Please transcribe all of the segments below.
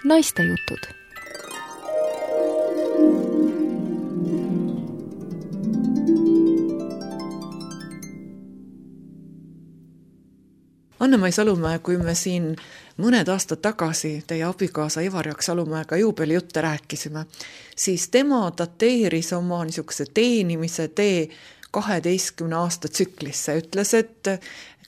Naistejutud. Anne-Mai Salumäe, kui me siin mõned aastad tagasi teie abikaasa Ivar-Jaak Salumäega juubelijutte rääkisime, siis tema dateeris oma niisuguse teenimise tee 12 aasta tsüklisse. Ütles, et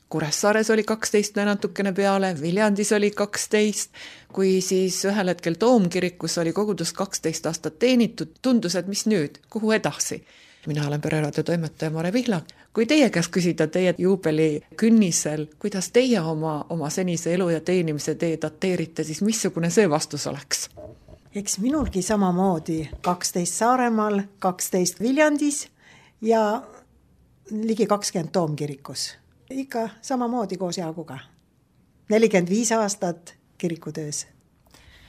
Kuressaares oli 12 natukene peale, Viljandis oli 12, kui siis ühel hetkel Toomkirikus oli kogudus 12 aastat teenitud, tundus, et mis nüüd, kuhu edasi? Mina olen Pereraadio toimetaja Mare Vihlak. Kui teie käest küsida teie juubeli künnisel, kuidas teie oma senise elu ja teenimise tee dateerite, siis missugune see vastus oleks? Eks minulgi samamoodi 12 Saaremaal, 12 Viljandis ja ligi 20 Toomkirikus. Ikka samamoodi koos Jaaguga. 45 aastat kirikutöös.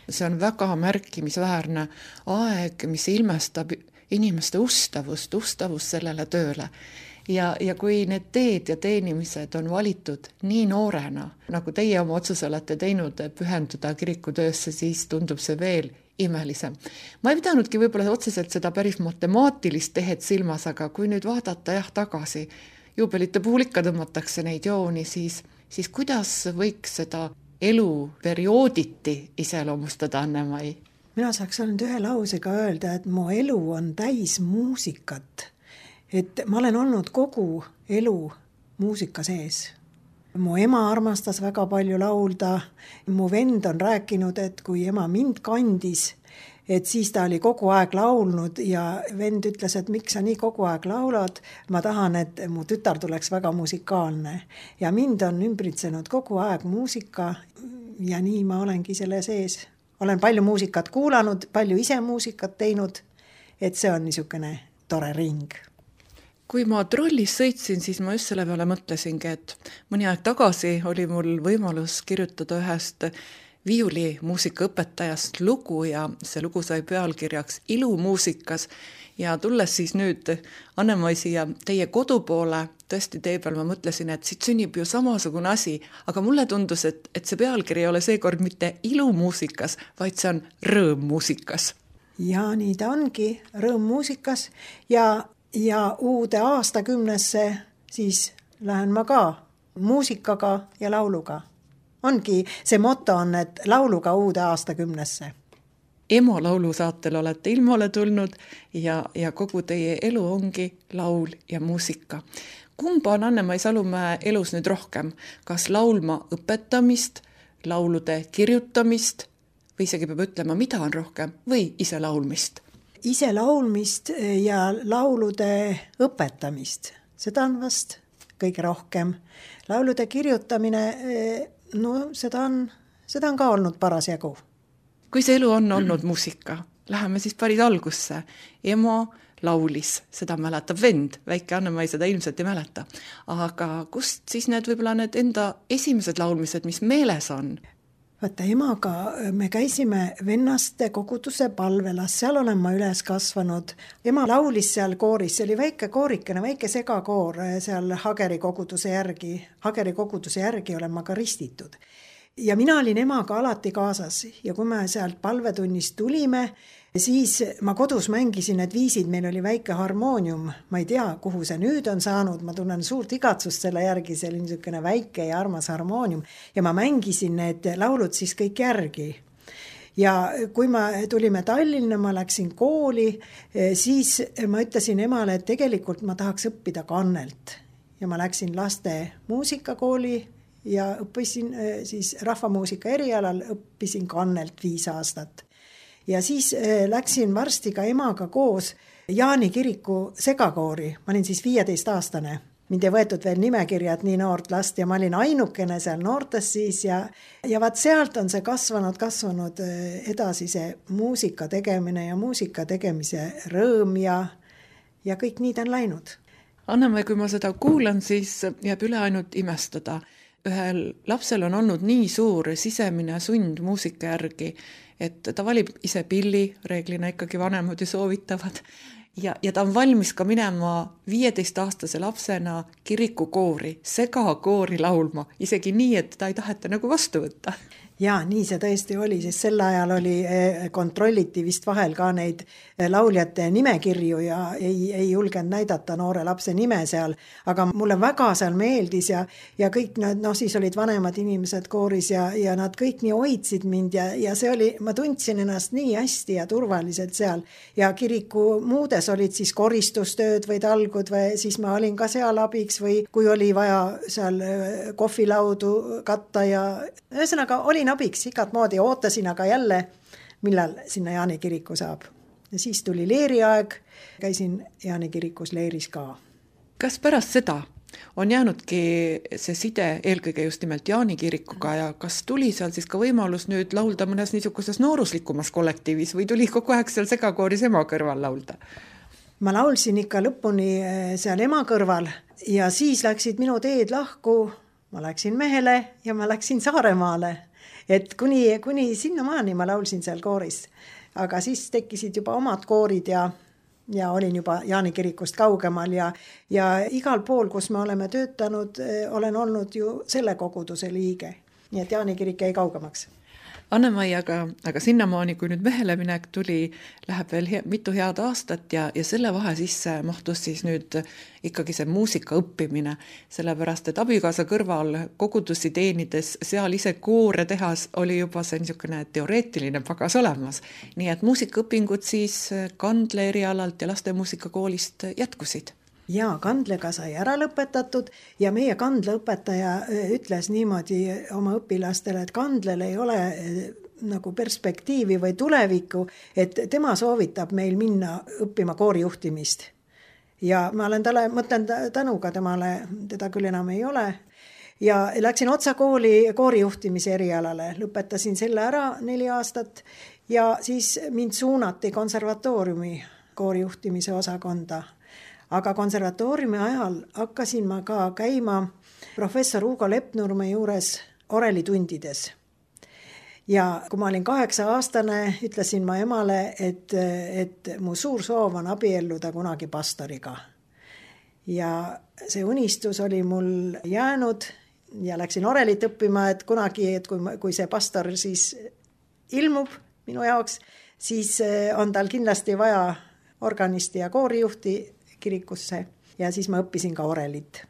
See on väga märkimisväärne aeg, mis ilmestab inimeste ustavust sellele tööle. Ja kui need teed ja teenimised on valitud nii noorena, nagu teie oma otsuse olete teinud pühenduda kirikutöösse, siis tundub see veel imelisem. Ma ei pidanudki võib-olla otseselt seda päris matemaatilist tehet silmas, aga kui nüüd vaadata tagasi, juubelite puhul ikka tõmmatakse neid jooni, siis kuidas võiks seda elu periooditi iseloomustada, Anne-Mai? Mina saaks ainult ühe lausega öelda, et mu elu on täis muusikat. Et ma olen olnud kogu elu muusika sees. Mu ema armastas väga palju laulda. Mu vend on rääkinud, et kui ema mind kandis, et siis ta oli kogu aeg laulnud ja vend ütles, et miks sa nii kogu aeg laulad. Ma tahan, et mu tütar tuleks väga musikaalne. Ja mind on ümbritsenud kogu aeg muusika ja nii ma olengi selle sees. Olen palju muusikat kuulanud, palju ise muusikat teinud, et see on niisugune tore ring. Kui ma trollis sõitsin, siis ma just selle peale mõtlesingi, et mõni aeg tagasi oli mul võimalus kirjutada ühest viiulimuusikaõpetajast lugu ja see lugu sai pealkirjaks Ilumuusikas ja tulles siis nüüd Anne-Mai siia teie kodu poole, tõesti tee peal ma mõtlesin, et siit sünnib ju samasugune asi, aga mulle tundus, et see pealkiri ei ole seekord mitte Ilumuusikas, vaid see on Rõõmmuusikas. Ja nii ta ongi, Rõõmmuusikas ja uude aastakümnesse siis lähen ma ka muusikaga ja lauluga. Ongi, see motto on, et lauluga uude aastakümnesse. Emo laulusaatel olete ilmale tulnud ja kogu teie elu ongi laul ja muusika. Kumba on Anne-Mai Salumäe elus nüüd rohkem? Kas laulma õpetamist, laulude kirjutamist või isegi peab ütlema, mida on rohkem või ise laulmist? Ise laulmist ja laulude õpetamist. Seda on vast kõige rohkem. Laulude kirjutamine, seda on ka olnud parasjagu. Kui see elu on olnud muusika, läheme siis päris algusse. Emo laulis, seda mäletab vend, väike Anne-Mai seda ilmselt ei mäleta. Aga kust siis need enda esimesed laulmised, mis meeles on? Vaata, emaga me käisime vennaste koguduse Palvelas, seal olen ma üles kasvanud. Ema laulis seal kooris, see oli väike koorikene, väike segakoor seal Hageri koguduse järgi olen ma ka ristitud. Ja mina olin emaga alati kaasas ja kui me sealt palvetunnist tulime, siis ma kodus mängisin need viisid, meil oli väike harmoonium, ma ei tea, kuhu see nüüd on saanud, ma tunnen suurt igatsust selle järgi, see oli niisugune väike ja armas harmoonium ja ma mängisin need laulud siis kõik järgi. Ja kui me tulime Tallinna, ma läksin kooli, siis ma ütlesin emale, et tegelikult ma tahaks õppida kannelt ja ma läksin laste muusikakooli ja õppisin siis rahvamuusika erialal, õppisin kannelt 5 aastat. Ja siis läksin varsti ka emaga koos Jaani kiriku segakoori. Ma olin siis 15-aastane. Mind ei võetud veel nimekirja, et nii noort last ja ma olin ainukene seal noortes siis ja vaat sealt on see kasvanud edasi see muusika tegemine ja muusika tegemise rõõm ja kõik nii ta on läinud. Anne-Mai, kui ma seda kuulan, siis jääb üle ainult imestada. Ühel lapsel on olnud nii suur sisemine sund muusika järgi, et ta valib ise pilli, reeglina ikkagi vanemad ju soovitavad, ja ta on valmis ka minema 15-aastase lapsena kirikukoori, segakoori laulma, isegi nii, et ta ei taheta nagu vastu võtta. Jaa, nii see tõesti oli, sest sel ajal kontrolliti vist vahel ka neid lauljate nimekirju ja ei julgenud näidata noore lapse nime seal, aga mulle väga seal meeldis ja kõik nad, siis olid vanemad inimesed kooris ja nad kõik nii hoidsid mind ja see oli, ma tundsin ennast nii hästi ja turvaliselt seal ja kiriku muudes olid siis koristustööd või talgud või siis ma olin ka seal abiks või kui oli vaja seal kohvilaudu katta ja ühesõnaga olin abiks igat moodi, ootasin aga jälle, millal sinna Jaani kiriku saab. Ja siis tuli leeriaeg, käisin Jaani kirikus leeris ka. Kas pärast seda on jäänudki see side eelkõige just nimelt Jaani kirikuga ja kas tuli seal siis ka võimalus nüüd laulda mõnes niisuguses nooruslikumas kollektiivis või tuli kogu aeg seal segakooris ema kõrval laulda? Ma laulsin ikka lõpuni seal ema kõrval ja siis läksid minu teed lahku, ma läksin Mehele ja ma läksin Saaremaale. Et kuni sinnamaani ma laulsin seal kooris, aga siis tekkisid juba omad koorid ja olin juba Jaani kirikust kaugemal ja igal pool, kus me oleme töötanud, olen olnud ju selle koguduse liige. Nii et Jaani kirik jäi kaugemaks. Anne-Mai, aga sinnamaani, kui nüüd Mehele minek tuli, läheb veel mitu head aastat ja selle vahe sisse mahtus siis nüüd ikkagi see muusika õppimine, sellepärast, et abikaasa kõrval kogudusi teenides, seal ise koore tehas oli juba see niisugune teoreetiline pagas olemas. Nii et muusikaõpingud siis Kandle erialalt ja lastemuusikakoolist jätkusid. Jaa, Kandlega sai ära lõpetatud ja meie Kandla õpetaja ütles niimoodi oma õpilastele, et Kandlel ei ole nagu perspektiivi või tulevikku, et tema soovitab meil minna õppima koorijuhtimist. Ja ma olen mõtlen tänuga temale, teda küll enam ei ole. Ja läksin otsa koorijuhtimise erialale, lõpetasin selle ära 4 aastat ja siis mind suunati konservatooriumi koorijuhtimise osakonda. Aga konservatooriumi ajal hakkasin ma ka käima professor Hugo Lepnurme juures orelitundides. Ja kui ma olin 8-aastane, ütlesin ma emale, et mu suur soov on abielluda kunagi pastoriga. Ja see unistus oli mul jäänud ja läksin orelit õppima, et kunagi, et kui see pastor siis ilmub minu jaoks, siis on tal kindlasti vaja organisti ja koorijuhti kirikusse ja siis ma õppisin ka orelit.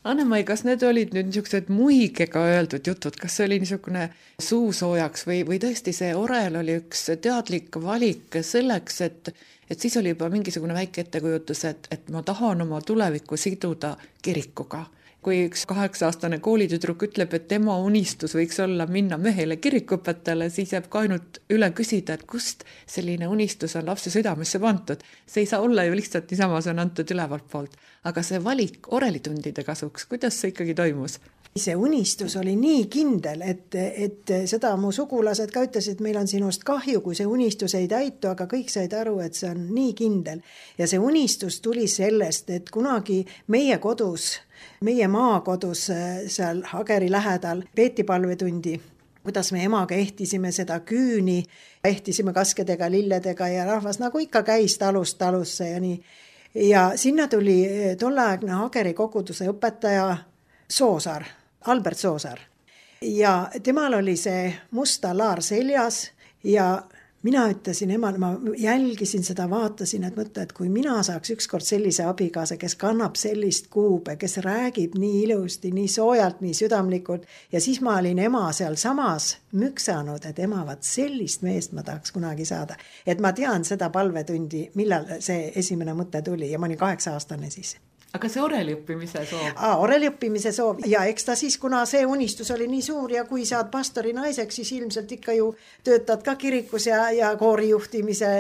Anne-Mai, kas need olid nüüd niisugused muigega öeldud jutud, kas see oli niisugune suusoojaks või tõesti see orel oli üks teadlik valik selleks, et siis oli juba mingisugune väike ettekujutus, et ma tahan oma tulevikku siduda kirikuga. Kui üks 8-aastane koolitüdruk ütleb, et tema unistus võiks olla minna Mehele kirikuõpetajale, siis jääb ka ainult üle küsida, et kust selline unistus on lapse südamesse pandud. See ei saa olla ju lihtsalt niisama, see on antud ülevalt poolt. Aga see valik orelitundide kasuks, kuidas see ikkagi toimus? See unistus oli nii kindel, et seda mu sugulased ka ütlesid, et meil on sinust kahju, kui see unistus ei täitu, aga kõik said aru, et see on nii kindel. Ja see unistus tuli sellest, et kunagi meie maakodus seal Hageri lähedal peeti palvetundi, kuidas me emaga ehtisime seda küüni, ehtisime kaskedega, lilledega ja rahvas nagu ikka käis talust talusse ja nii. Ja sinna tuli tolleaegne Hageri koguduse õpetaja Soosaar, Albert Soosaar. Ja temal oli see musta laar seljas ja mina ütlesin emale, ma jälgisin seda, vaatasin, et mõtle, et kui mina saaks ükskord sellise abigaasa, kes kannab sellist kuube, kes räägib nii ilusti, nii soojalt, nii südamlikult ja siis ma olin ema seal samas müksanud, et ema, vaat sellist meest ma tahaks kunagi saada. Et ma tean seda palvetundi, millal see esimene mõte tuli ja ma olin 8-aastane siis. Aga see oreliõppimise soov? Oreliõppimise soov ja eks ta siis, kuna see unistus oli nii suur ja kui saad pastori naiseks, siis ilmselt ikka ju töötad ka kirikus ja koorijuhtimise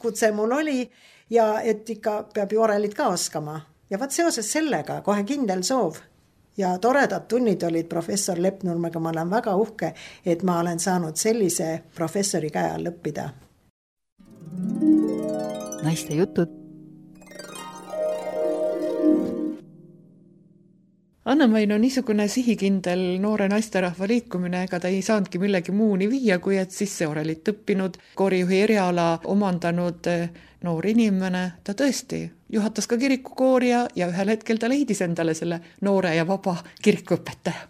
kutse mul oli ja et ikka peab ju orelit ka oskama. Ja vaat seoses sellega kohe kindel soov ja toredad tunnid olid professor Lepnurmega, ma olen väga uhke, et ma olen saanud sellise professori käe all õppida. Naiste jutud. Anne-Mai, no niisugune sihikindel noore naisterahva liikumine, ega ta ei saanudki millegi muuni viia, kui et sisse orelit õppinud, koorijuhi eriala omandanud noor inimene, ta tõesti juhatas ka kirikukoori ja ühel hetkel ta leidis endale selle noore ja vaba kirikuõpetaja.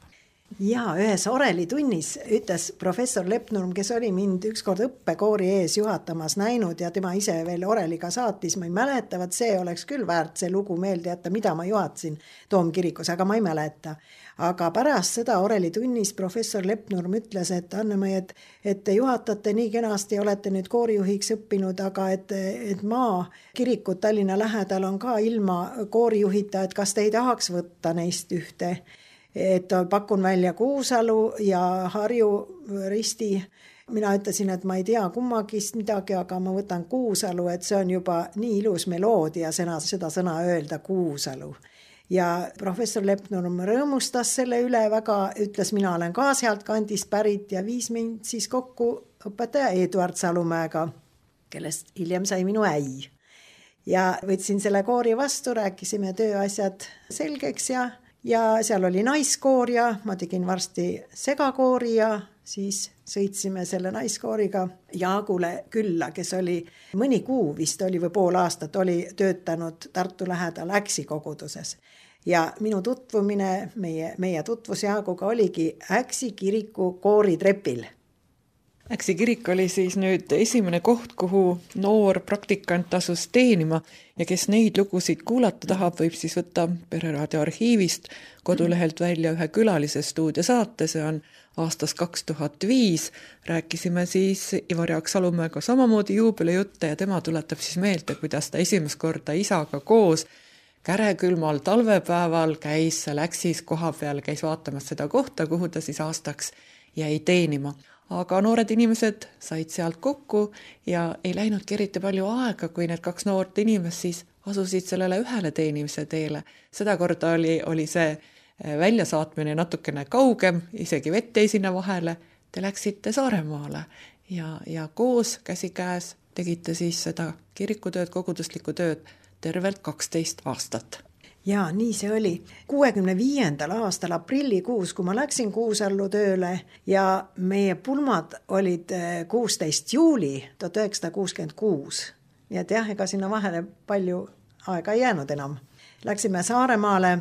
Ja ühes orelitunnis ütles professor Lepnurm, kes oli mind ükskord õppekoori ees juhatamas näinud ja tema ise veel oreliga saatis, ma ei mäleta, see oleks küll väärt see lugu meelde jätta, mida ma juhatasin Toomkirikus, aga ma ei mäleta. Aga pärast seda orelitunnis professor Lepnurm ütles, et Anne-Mai, et te juhatate nii kenasti, olete nüüd koorijuhiks õppinud, aga et maakirikud Tallinna lähedal on ka ilma koorijuhita, et kas te ei tahaks võtta neist ühte, et pakun välja Kuusalu ja Harju Risti. Mina ütlesin, et ma ei tea kummagist midagi, aga ma võtan Kuusalu, et see on juba nii ilus meloodia seda sõna öelda Kuusalu. Ja professor Lepnurm rõõmustas selle üle väga, ütles, mina olen ka sealt kandist pärit ja viis mind siis kokku õpetaja Eduard Salumäega, kellest hiljem sai minu äi. Ja võtsin selle koori vastu, rääkisime tööasjad selgeks ja seal oli naiskoor ja ma tegin varsti segakoori ja siis sõitsime selle naiskooriga Jaagule külla, kes oli mõni kuu vist oli või pool aastat oli töötanud Tartu lähedal Äksi koguduses. Ja minu tutvumine, meie tutvus Jaaguga oligi Äksi kiriku kooritrepil. Äksi kirik oli siis nüüd esimene koht, kuhu noor praktikant asus teenima ja kes neid lugusid kuulata tahab, võib siis võtta Pereraadio arhiivist kodulehelt välja ühe külalise stuudiosaate, see on aastast 2005. Rääkisime siis Ivar Jaak Salumäega samamoodi juubelijutte ja tema tuletab siis meelde, kuidas ta esimest korda isaga koos kärekülmal talvepäeval käis seal Äksis koha peal, käis vaatamas seda kohta, kuhu ta siis aastaks jäi teenima. Aga noored inimesed said sealt kokku ja ei läinudki eriti palju aega, kui need kaks noort inimest siis asusid sellele ühele teenimise teele. Seda korda oli see väljasaatmine natukene kaugem, isegi vett jäi sinna vahele. Te läksite Saaremaale ja koos käsikäes tegite siis seda kirikutööd, koguduslikku tööd tervelt 12 aastat. Ja nii see oli. 65. aastal aprillikuus, kui ma läksin Kuusallu tööle ja meie pulmad olid 16. juuli 1966. Nii et jah, ega sinna vahele palju aega ei jäänud enam. Läksime Saaremaale.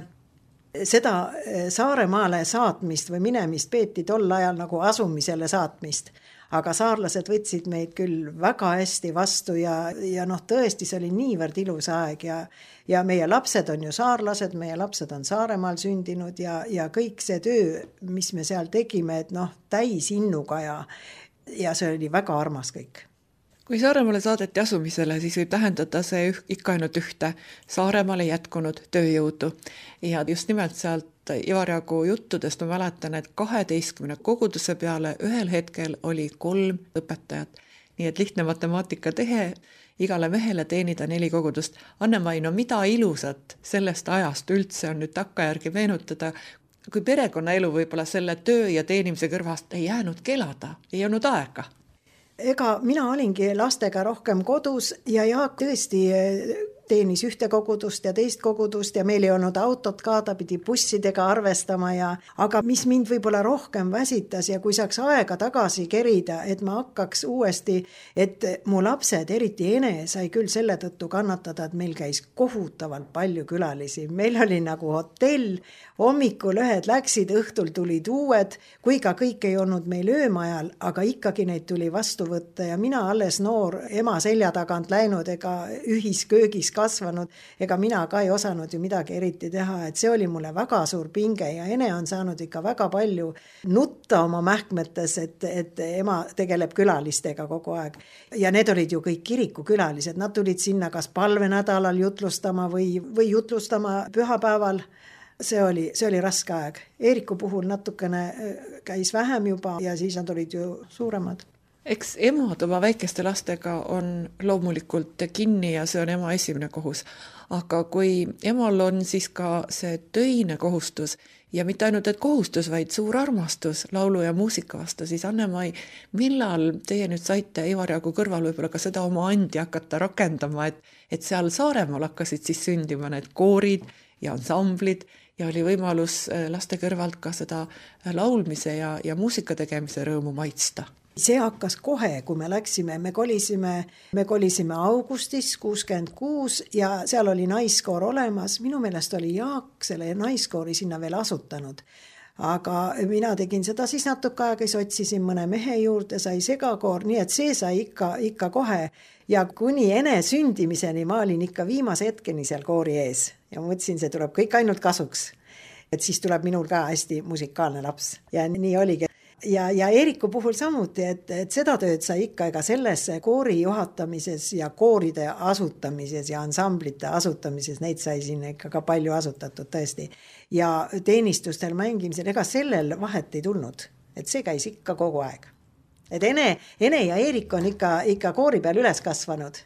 Seda Saaremaale saatmist või minemist peeti tol ajal nagu asumisele saatmist. Aga saarlased võtsid meid küll väga hästi vastu ja tõesti see oli niivõrd ilus aeg ja meie lapsed on ju saarlased, meie lapsed on Saaremaal sündinud ja kõik see töö, mis me seal tegime, et täis innuga ja see oli väga armas kõik. Kui Saaremaale saadeti asumisele, siis võib tähendada see ikka ainult ühte Saaremaale jätkunud tööjõudu. Ja just nimelt sealt Ivar Jaagu juttudest ma mäletan, et 12 koguduse peale ühel hetkel oli 3 õpetajat. Nii et lihtne matemaatika tehe, igale mehele teenida 4 kogudust. Anne-Mai, mida ilusat sellest ajast üldse on nüüd takkajärgi meenutada, kui perekonnaelu võib-olla selle töö ja teenimise kõrvast ei jäänud kelada, ei olnud aega. Ega mina olingi lastega rohkem kodus ja Jaak tõesti teenis ühte kogudust ja teist kogudust ja meil ei olnud autot ka, ta pidi bussidega arvestama aga mis mind võib-olla rohkem väsitas ja kui saaks aega tagasi kerida, et ma hakkaks uuesti, et mu lapsed, eriti Ene, sai küll selle tõttu kannatada, et meil käis kohutavalt palju külalisi. Meil oli nagu hotell, hommikul ühed läksid, õhtul tulid uued, kui ka kõik ei olnud meil öömajal, aga ikkagi neid tuli vastu võtta ja mina alles noor ema selja tagant läinud ega ühisköögis kasvanud, ega mina ka ei osanud ju midagi eriti teha, et see oli mulle väga suur pinge ja Ene on saanud ikka väga palju nutta oma mähkmetes, et ema tegeleb külalistega kogu aeg. Ja need olid ju kõik kirikukülalised, nad tulid sinna kas palvenädalal jutlustama või jutlustama pühapäeval. See oli raske aeg. Eeriku puhul natukene käis vähem juba ja siis nad olid ju suuremad. Eks emad oma väikeste lastega on loomulikult kinni ja see on ema esimene kohus. Aga kui emal on siis ka see töine kohustus ja mitte ainult et kohustus, vaid suur armastus laulu ja muusika vastu, siis Anne-Mai, millal teie nüüd saite Ivar Jaagu kõrval võib-olla ka seda oma andi hakata rakendama, et seal Saaremaal hakkasid siis sündima need koorid ja ansamblid ja oli võimalus laste kõrvalt ka seda laulmise ja muusika tegemise rõõmu maitsta? See hakkas kohe, kui me läksime, me kolisime augustis 66 ja seal oli naiskoor olemas. Minu meelest oli Jaak selle naiskoori sinna veel asutanud. aga mina tegin seda siis natuke aega, siis otsisin mõne mehe juurde, sai segakoor, nii et see sai ikka kohe ja kuni ene sündimiseni ma olin ikka viimase hetkeni seal koori ees ja mõtlesin, see tuleb kõik ainult kasuks. Et siis tuleb minul ka hästi musikaalne laps ja nii oligi. Ja Eeriku puhul samuti, et seda tööd sai ikka ega selles koori juhatamises ja kooride asutamises ja ansamblite asutamises, neid sai siin ikka ka palju asutatud tõesti. Ja teenistustel mängimisel, ega sellel vahet ei tulnud, et see käis ikka kogu aeg. Et Ene ja Eerik on ikka koori peal üles kasvanud.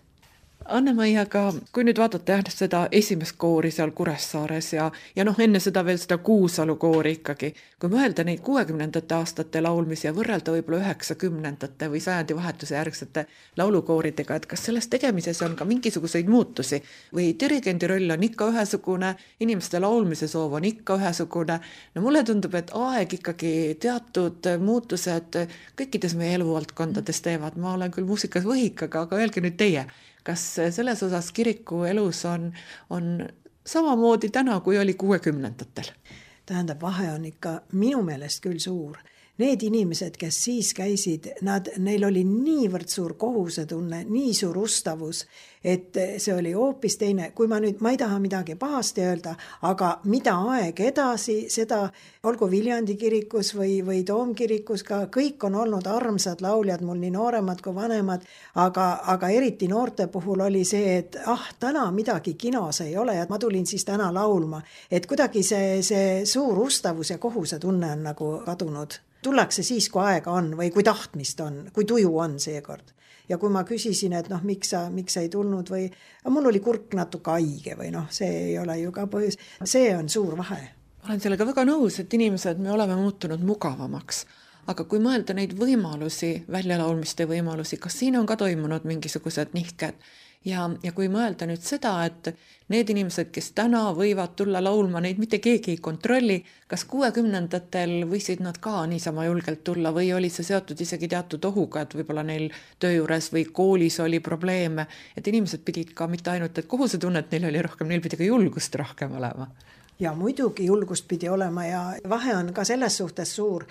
Anne-Mai, aga kui nüüd vaadata seda esimest koori seal Kuressaares ja enne seda veel seda Kuusalu koori ikkagi, kui mõelda neid 60ndate aastate laulmisi ja võrrelda võib-olla 90ndate või sajandi vahetuse järgsete laulukooridega, et kas selles tegemises on ka mingisuguseid muutusi või dirigendi roll on ikka ühesugune, inimeste laulmise soov on ikka ühesugune. No mulle tundub, et aeg ikkagi teatud muutused kõikides meie eluvaldkondades teevad. Ma olen küll muusikas võhikaga, aga öelge nüüd teie, kas selles osas kiriku elus on samamoodi täna, kui oli 60ndatel? Tähendab, vahe on ikka minu meelest küll suur. Need inimesed, kes siis käisid, neil oli niivõrd suur kohusetunne, nii suur ustavus, et see oli hoopis teine. Kui ma ei taha midagi pahasti öelda, aga mida aeg edasi, seda olgu Viljandi kirikus või Toomkirikus ka, kõik on olnud armsad lauljad, mul nii nooremad kui vanemad, aga eriti noorte puhul oli see, et täna midagi kinos ei ole ja ma tulin siis täna laulma. Et kuidagi see suur ustavus ja kohusetunne on nagu kadunud. Tullakse siis, kui aega on või kui tahtmist on, kui tuju on seekord. Ja kui ma küsisin, et miks sa ei tulnud või mul oli kurk natuke haige või see ei ole ju ka põhjus. See on suur vahe. Olen sellega väga nõus, et inimesed me oleme muutunud mugavamaks. Aga kui mõelda neid võimalusi, väljalaulmiste võimalusi, kas siin on ka toimunud mingisugused nihked? Ja kui mõelda nüüd seda, et need inimesed, kes täna võivad tulla laulma, neid mitte keegi ei kontrolli, kas 60ndatel võisid nad ka niisama julgelt tulla või oli see seotud isegi teatud ohuga, et võib-olla neil töö juures või koolis oli probleeme, et inimesed pidid ka mitte ainult, et kohusetunnet neil oli rohkem, neil pidi ka julgust rohkem olema. Ja muidugi julgust pidi olema ja vahe on ka selles suhtes suur.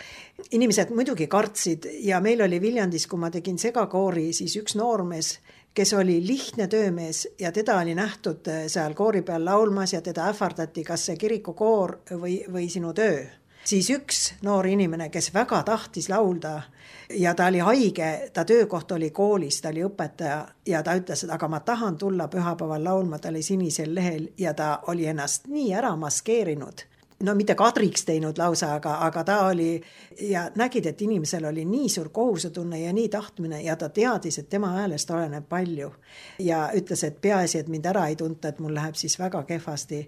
Inimesed muidugi kartsid ja meil oli Viljandis, kui ma tegin segakoori, siis üks noormees, kes oli lihtne töömees ja teda oli nähtud seal koori peal laulmas ja teda ähvardati, kas see kirikukoor või sinu töö. Siis üks noor inimene, kes väga tahtis laulda ja ta oli haige, ta töökoht oli koolis, ta oli õpetaja ja ta ütles, et aga ma tahan tulla pühapäeval laulma, ta oli sinisel lehel ja ta oli ennast nii ära maskeerinud. Mitte kadriks teinud lausa, aga ta oli ja nägid, et inimesel oli nii suur kohusetunne ja nii tahtmine ja ta teadis, et tema häälest oleneb palju. Ja ütles, et peaasi, et mind ära ei tunta, et mul läheb siis väga kehvasti.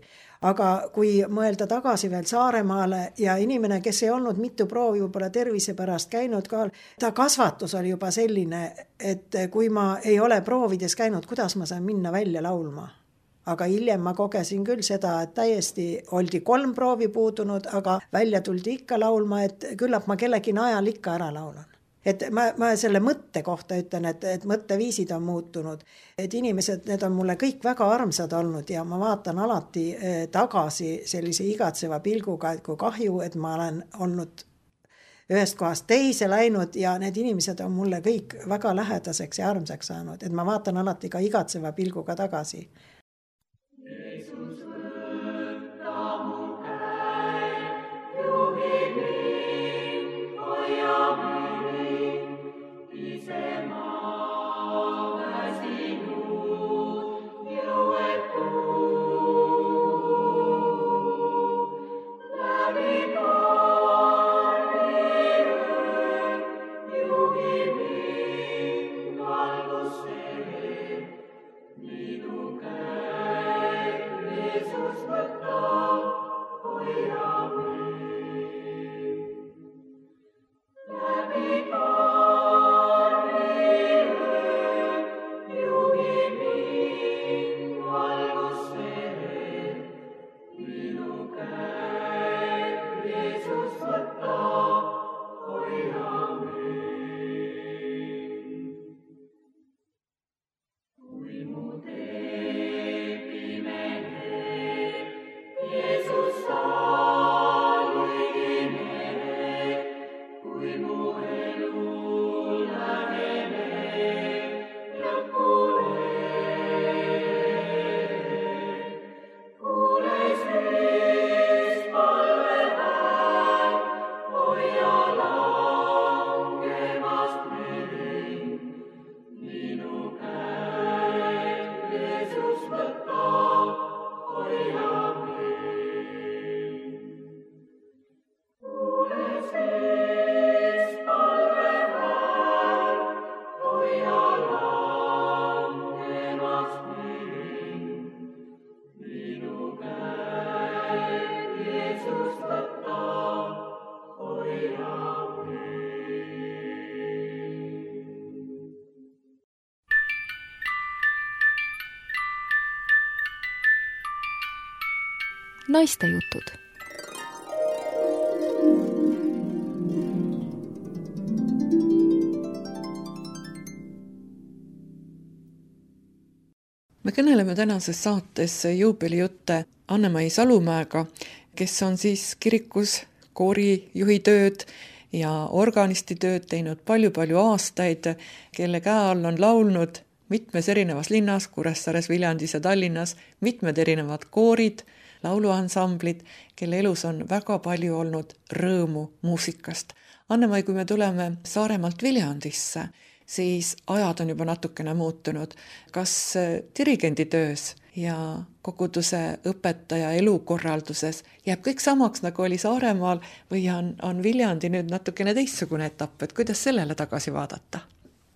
Aga kui mõelda tagasi veel Saaremaale ja inimene, kes ei olnud mitu proovi võib-olla tervise pärast käinud kohal, ta kasvatus oli juba selline, et kui ma ei ole proovides käinud, kuidas ma saan minna välja laulma? Aga hiljem ma kogesin küll seda, et täiesti oldi 3 proovi puudunud, aga välja tuldi ikka laulma, et küllap ma kellegi najal ikka ära laulan. Et ma selle mõtte kohta ütlen, et mõtteviisid on muutunud. Et inimesed, need on mulle kõik väga armsad olnud ja ma vaatan alati tagasi sellise igatseva pilguga, et kui kahju, et ma olen olnud ühest kohast teise läinud ja need inimesed on mulle kõik väga lähedaseks ja armsaks saanud. Et ma vaatan alati ka igatseva pilguga tagasi. Valgus see, nii tugev. Naistejutud. Me kõneleme tänases saates juubelijutte Anne-Mai Salumäega, kes on siis kirikus koorijuhi tööd ja organisti tööd teinud palju-palju aastaid, kelle käe all on laulnud mitmes erinevas linnas, Kuressaares, Viljandis ja Tallinnas, mitmed erinevad koorid, lauluansamblid, kelle elus on väga palju olnud rõõmu muusikast. Anne-Mai, kui me tuleme Saaremaalt Viljandisse, siis ajad on juba natukene muutunud. Kas dirigendi töös ja koguduse õpetaja elukorralduses jääb kõik samaks, nagu oli Saaremaal, või on Viljandi nüüd natukene teistsugune etapp, et kuidas sellele tagasi vaadata?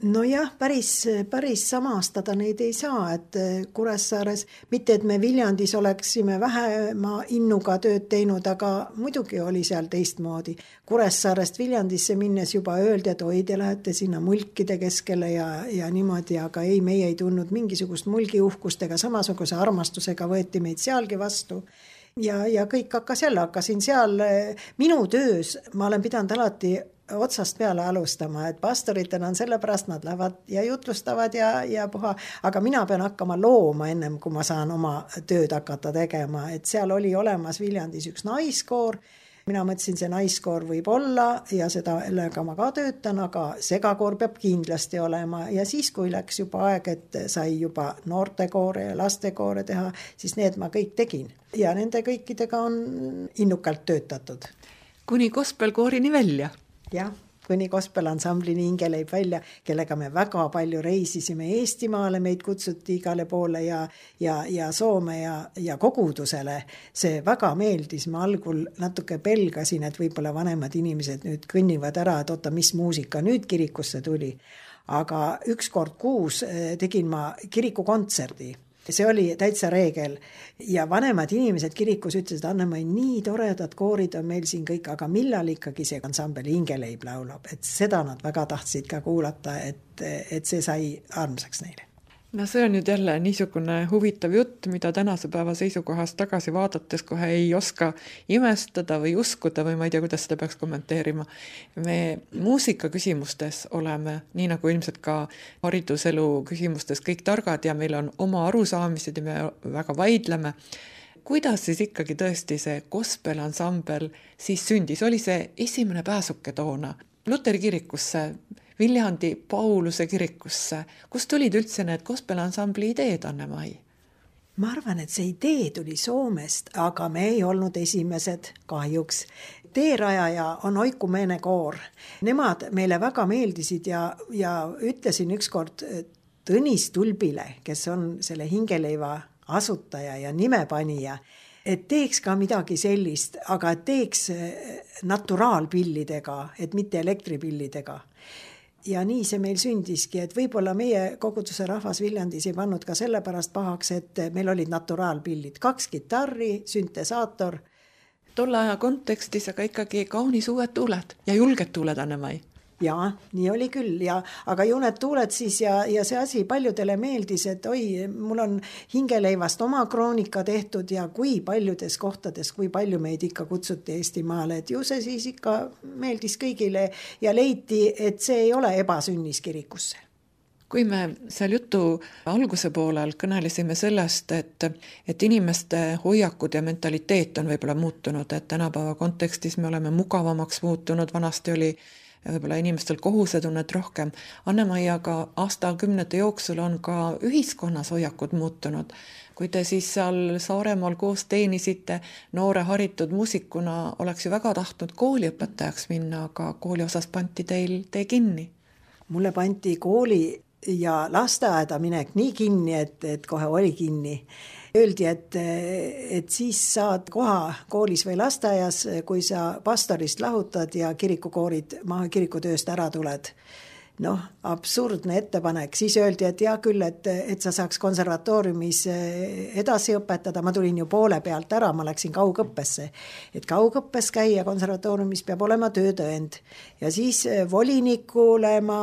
Nojah, päris samastada neid ei saa, et Kuressaares, mitte et me Viljandis oleksime vähema innuga tööd teinud, aga muidugi oli seal teistmoodi. Kuressaarest Viljandisse minnes juba öeldi, et oi, te lähete sinna mulkide keskele ja niimoodi, aga ei, meie ei tundnud mingisugust mulgiuhkust ega samasuguse armastusega võeti meid sealgi vastu. Ja kõik hakkasin seal minu töös, ma olen pidanud alati otsast peale alustama, et pastoritena on sellepärast, nad lähevad ja jutlustavad ja puha, aga mina pean hakkama looma ennem, kui ma saan oma tööd hakata tegema, et seal oli olemas Viljandis üks naiskoor, mina mõtlesin, see naiskoor võib olla ja sellega ma ka töötan, aga segakoor peab kindlasti olema ja siis, kui läks juba aeg, et sai juba noortekoore ja lastekoore teha, siis need ma kõik tegin ja nende kõikidega on innukalt töötatud. Kuni gospelkoorini välja? Jah, kuni gospelansambli Hingeleib välja, kellega me väga palju reisisime Eestimaale, meid kutsuti igale poole ja Soome ja kogudusele. See väga meeldis, ma algul natuke pelgasin, et võib-olla vanemad inimesed nüüd kõnnivad ära, et oota, mis muusika nüüd kirikusse tuli. Aga üks kord kuus tegin ma kirikukontserdi. See oli täitsa reegel ja vanemad inimesed kirikus ütlesid, Anne-Mai, nii toredad koorid on meil siin kõik, aga millal ikkagi see ansambel Hingeleib laulab, et seda nad väga tahtsid ka kuulata, et see sai armsaks neile. No see on nüüd jälle niisugune huvitav jutt, mida tänase päeva seisukohast tagasi vaadates kohe ei oska imestada või uskuda või ma ei tea, kuidas seda peaks kommenteerima. Me muusika küsimustes oleme, nii nagu ilmselt ka hariduselu küsimustes kõik targad ja meil on oma arusaamised ja me väga vaidleme. Kuidas siis ikkagi tõesti see gospelansambel siis sündis? Oli see esimene pääsuke toona Luteri kirikusse, Viljandi Pauluse kirikusse? Kust tulid üldse need gospelansambli ideed, Anne-Mai? Ma arvan, et see idee tuli Soomest, aga me ei olnud esimesed kahjuks. Teerajaja on Oiku Meene koor. Nemad meile väga meeldisid ja ütlesin ükskord Tõnis Tulbile, kes on selle Hingeleiva asutaja ja nimepanija, et teeks ka midagi sellist, aga teeks naturaalpillidega, et mitte elektripillidega. Ja nii see meil sündiski, et võib-olla meie koguduse rahvas Viljandis ei pannud ka sellepärast pahaks, et meil olid naturaalpillid, 2 kitarri, süntesaator. Tolle aja kontekstis aga ikkagi kaunis uued tuuled ja julged tuuled, Anne-Mai. Jaa, nii oli küll, aga ju need tuuled siis ja see asi paljudele meeldis, et oi, mul on Hingeleivast oma kroonika tehtud ja kui paljudes kohtades, kui palju meid ikka kutsuti Eestimaale, et ju see siis ikka meeldis kõigile ja leiti, et see ei ole ebasünnis kirikusse. Kui me seal jutu alguse poolel kõnelesime sellest, et inimeste hoiakud ja mentaliteet on võib-olla muutunud, et tänapäeva kontekstis me oleme mugavamaks muutunud, vanasti oli võib-olla inimestel kohusetunnet rohkem. Anne-Mai, aga aastakümnete jooksul on ka ühiskonnas hoiakud muutunud. Kui te siis seal Saaremaal koos teenisite noore haritud muusikuna, oleks ju väga tahtnud kooliõpetajaks minna, aga kooli osas panti teil tee kinni. Mulle panti kooli ja lasteaeda minek nii kinni, et kohe oli kinni. Öeldi, et siis saad koha koolis või lasteaias, kui sa pastorist lahutad ja kirikukoorid kirikutööst ära tuled. absurdne ettepanek, siis öeldi, et hea küll, et sa saaks konservatooriumis edasi õpetada, ma tulin ju poole pealt ära, ma läksin kaugõppesse, et kaugõppes käia konservatooriumis peab olema töötõend ja siis volinikule ma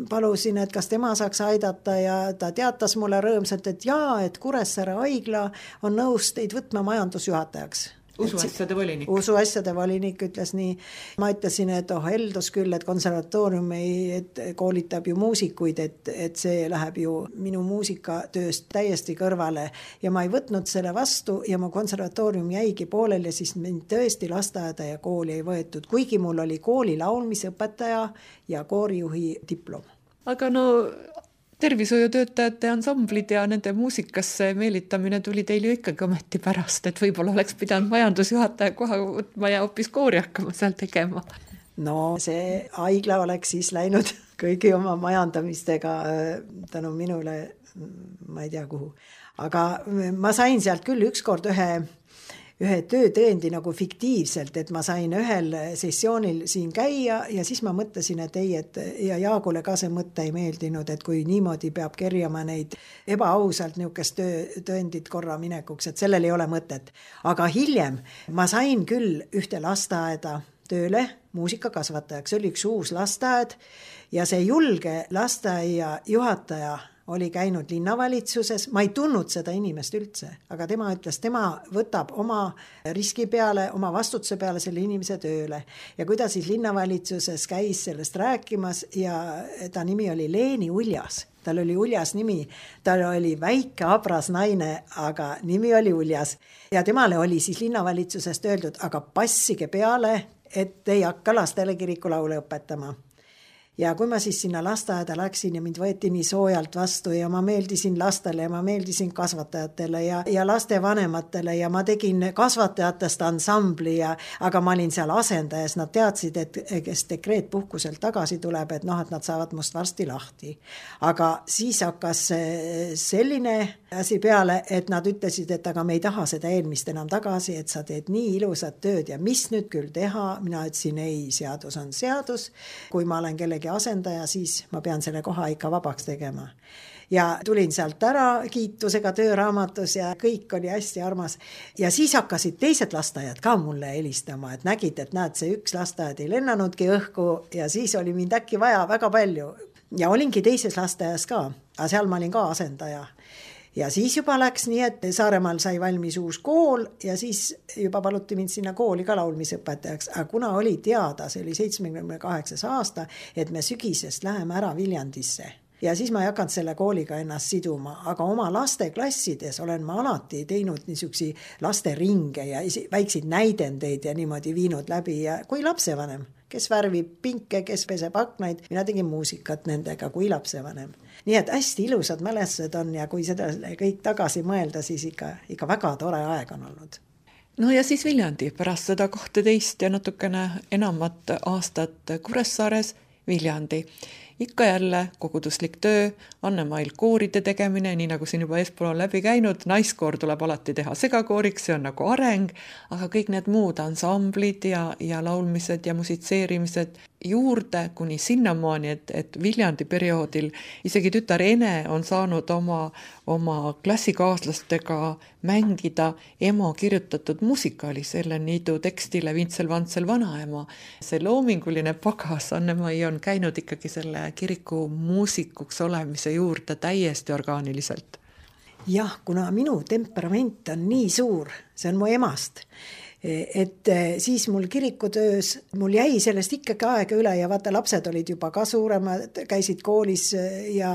palusin, et kas tema saaks aidata ja ta teatas mulle rõõmsalt, et jaa, et Kuressaare haigla on nõus teid võtma majandusjuhatajaks. Usuasjade volinik. Usuasjade volinik ütles nii. Ma ütlesin, et heldus küll, et konservatoorium koolitab ju muusikuid, et see läheb ju minu muusikatööst täiesti kõrvale ja ma ei võtnud selle vastu ja mu konservatoorium jäigi pooleli, siis mind tõesti lasteaeda ja kooli ei võetud, kuigi mul oli kooli laulmisõpetaja ja koorijuhi diplom. Aga tervishoiutöötajate ansamblid ja nende muusikasse meelitamine tuli teil ju ikkagi ometi pärast, et võib-olla oleks pidanud majandusjuhataja koha võtma ja hoopis koori hakkama seal tegema. See haigla oleks siis läinud kõigi oma majandamistega tänu minule, ma ei tea kuhu. Aga ma sain sealt küll ükskord ühe töötõendi nagu fiktiivselt, et ma sain ühel sessioonil siin käia ja siis ma mõtlesin, et ja Jaagule ka see mõte ei meeldinud, et kui niimoodi peab kerjama neid ebaausalt niisugust töötõendit korra minekuks, et sellel ei ole mõtet. Aga hiljem ma sain küll ühte lasteaeda tööle muusikakasvatajaks, see oli üks uus lasteaed ja see julge lasteaia juhataja oli käinud linnavalitsuses, ma ei tundnud seda inimest üldse, aga tema ütles, tema võtab oma riski peale, oma vastutuse peale selle inimese tööle. Ja kui ta siis linnavalitsuses käis sellest rääkimas ja ta nimi oli Leeni Uljas, tal oli uljas nimi, tal oli väike abras naine, aga nimi oli Uljas. Ja temale oli siis linnavalitsusest öeldud, aga passige peale, et ei hakka lastele kirikulaule õpetama. Ja kui ma siis sinna lasteaeda läksin ja mind võeti nii soojalt vastu ja ma meeldisin lastele ja ma meeldisin kasvatajatele ja laste vanematele ja ma tegin kasvatajatest ansambli, aga ma olin seal asendajas, nad teadsid, et kes dekreetpuhkuselt tagasi tuleb, et nad saavad must varsti lahti. Aga siis hakkas selline asi peale, et nad ütlesid, et aga me ei taha seda eelmist enam tagasi, et sa teed nii ilusat tööd ja mis nüüd küll teha, mina ütlesin ei, seadus on seadus, kui ma olen kellegi asendaja, siis ma pean selle koha ikka vabaks tegema. Ja tulin sealt ära kiitusega tööraamatus ja kõik oli hästi armas. Ja siis hakkasid teised lasteajad ka mulle helistama, et nägid, et näed, see üks lasteajad ei lennanudki õhku ja siis oli mind äkki vaja väga palju. Ja olingi teises lasteajas ka, aga seal ma olin ka asendaja. Ja siis juba läks nii, et Saaremaal sai valmis uus kool ja siis juba paluti mind sinna kooli ka laulmisõpetajaks. Aga kuna oli teada, see oli 78 aasta, et me sügisest läheme ära Viljandisse. Ja siis ma ei hakanud selle kooliga ennast siduma, aga oma laste klassides olen ma alati teinud niisugusi laste ringe ja väikseid näidendeid ja niimoodi viinud läbi ja kui lapsevanem, kes värvib pinke, kes peseb aknaid, mina tegin muusikat nendega kui lapsevanem. Nii et hästi ilusad mälestused on ja kui seda kõik tagasi mõelda, siis ikka väga tore aeg on olnud. Ja siis Viljandi pärast seda 12 ja natukene enamat aastat Kuressaares Viljandi. Ikka jälle koguduslik töö, Annemail kooride tegemine, nii nagu siin juba eespool on läbi käinud, naiskoor tuleb alati teha segakooriks, see on nagu areng, aga kõik need muud ansamblid ja laulmised ja musitseerimised juurde kuni sinnamaani, et Viljandi perioodil isegi tütar Ene on saanud oma klassikaaslastega mängida ema kirjutatud musikaali selle niidu tekstile Vintsel Vantsel vanaema. See loominguline pagas Annemai on käinud ikkagi selle kiriku muusikuks olemise juurde täiesti orgaaniliselt. Jah, kuna minu temperament on nii suur, see on mu emast, et siis mul kirikutöös, mul jäi sellest ikkagi aega üle ja vaata, lapsed olid juba ka suuremad, käisid koolis ja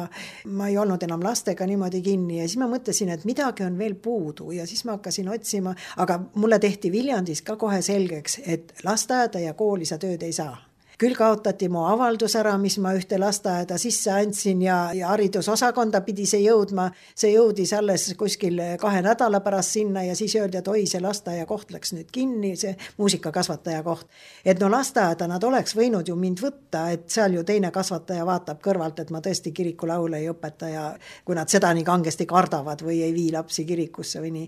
ma ei olnud enam lastega niimoodi kinni ja siis ma mõtlesin, et midagi on veel puudu ja siis ma hakkasin otsima, aga mulle tehti Viljandis ka kohe selgeks, et lasteaeda ja kooli sa tööd ei saa. Küll kaotati mu avaldus ära, mis ma ühte lasteaeda sisse andsin ja haridusosakonda pidi see jõudma. See jõudis alles kuskil 2 nädala pärast sinna ja siis öeldi, et oi, see lasteaia koht läks nüüd kinni, see muusikakasvataja koht. Et lasteaeda nad oleks võinud ju mind võtta, et seal ju teine kasvataja vaatab kõrvalt, et ma tõesti kirikulaule ei õpeta ja kui nad seda nii kangesti kardavad või ei vii lapsi kirikusse või nii.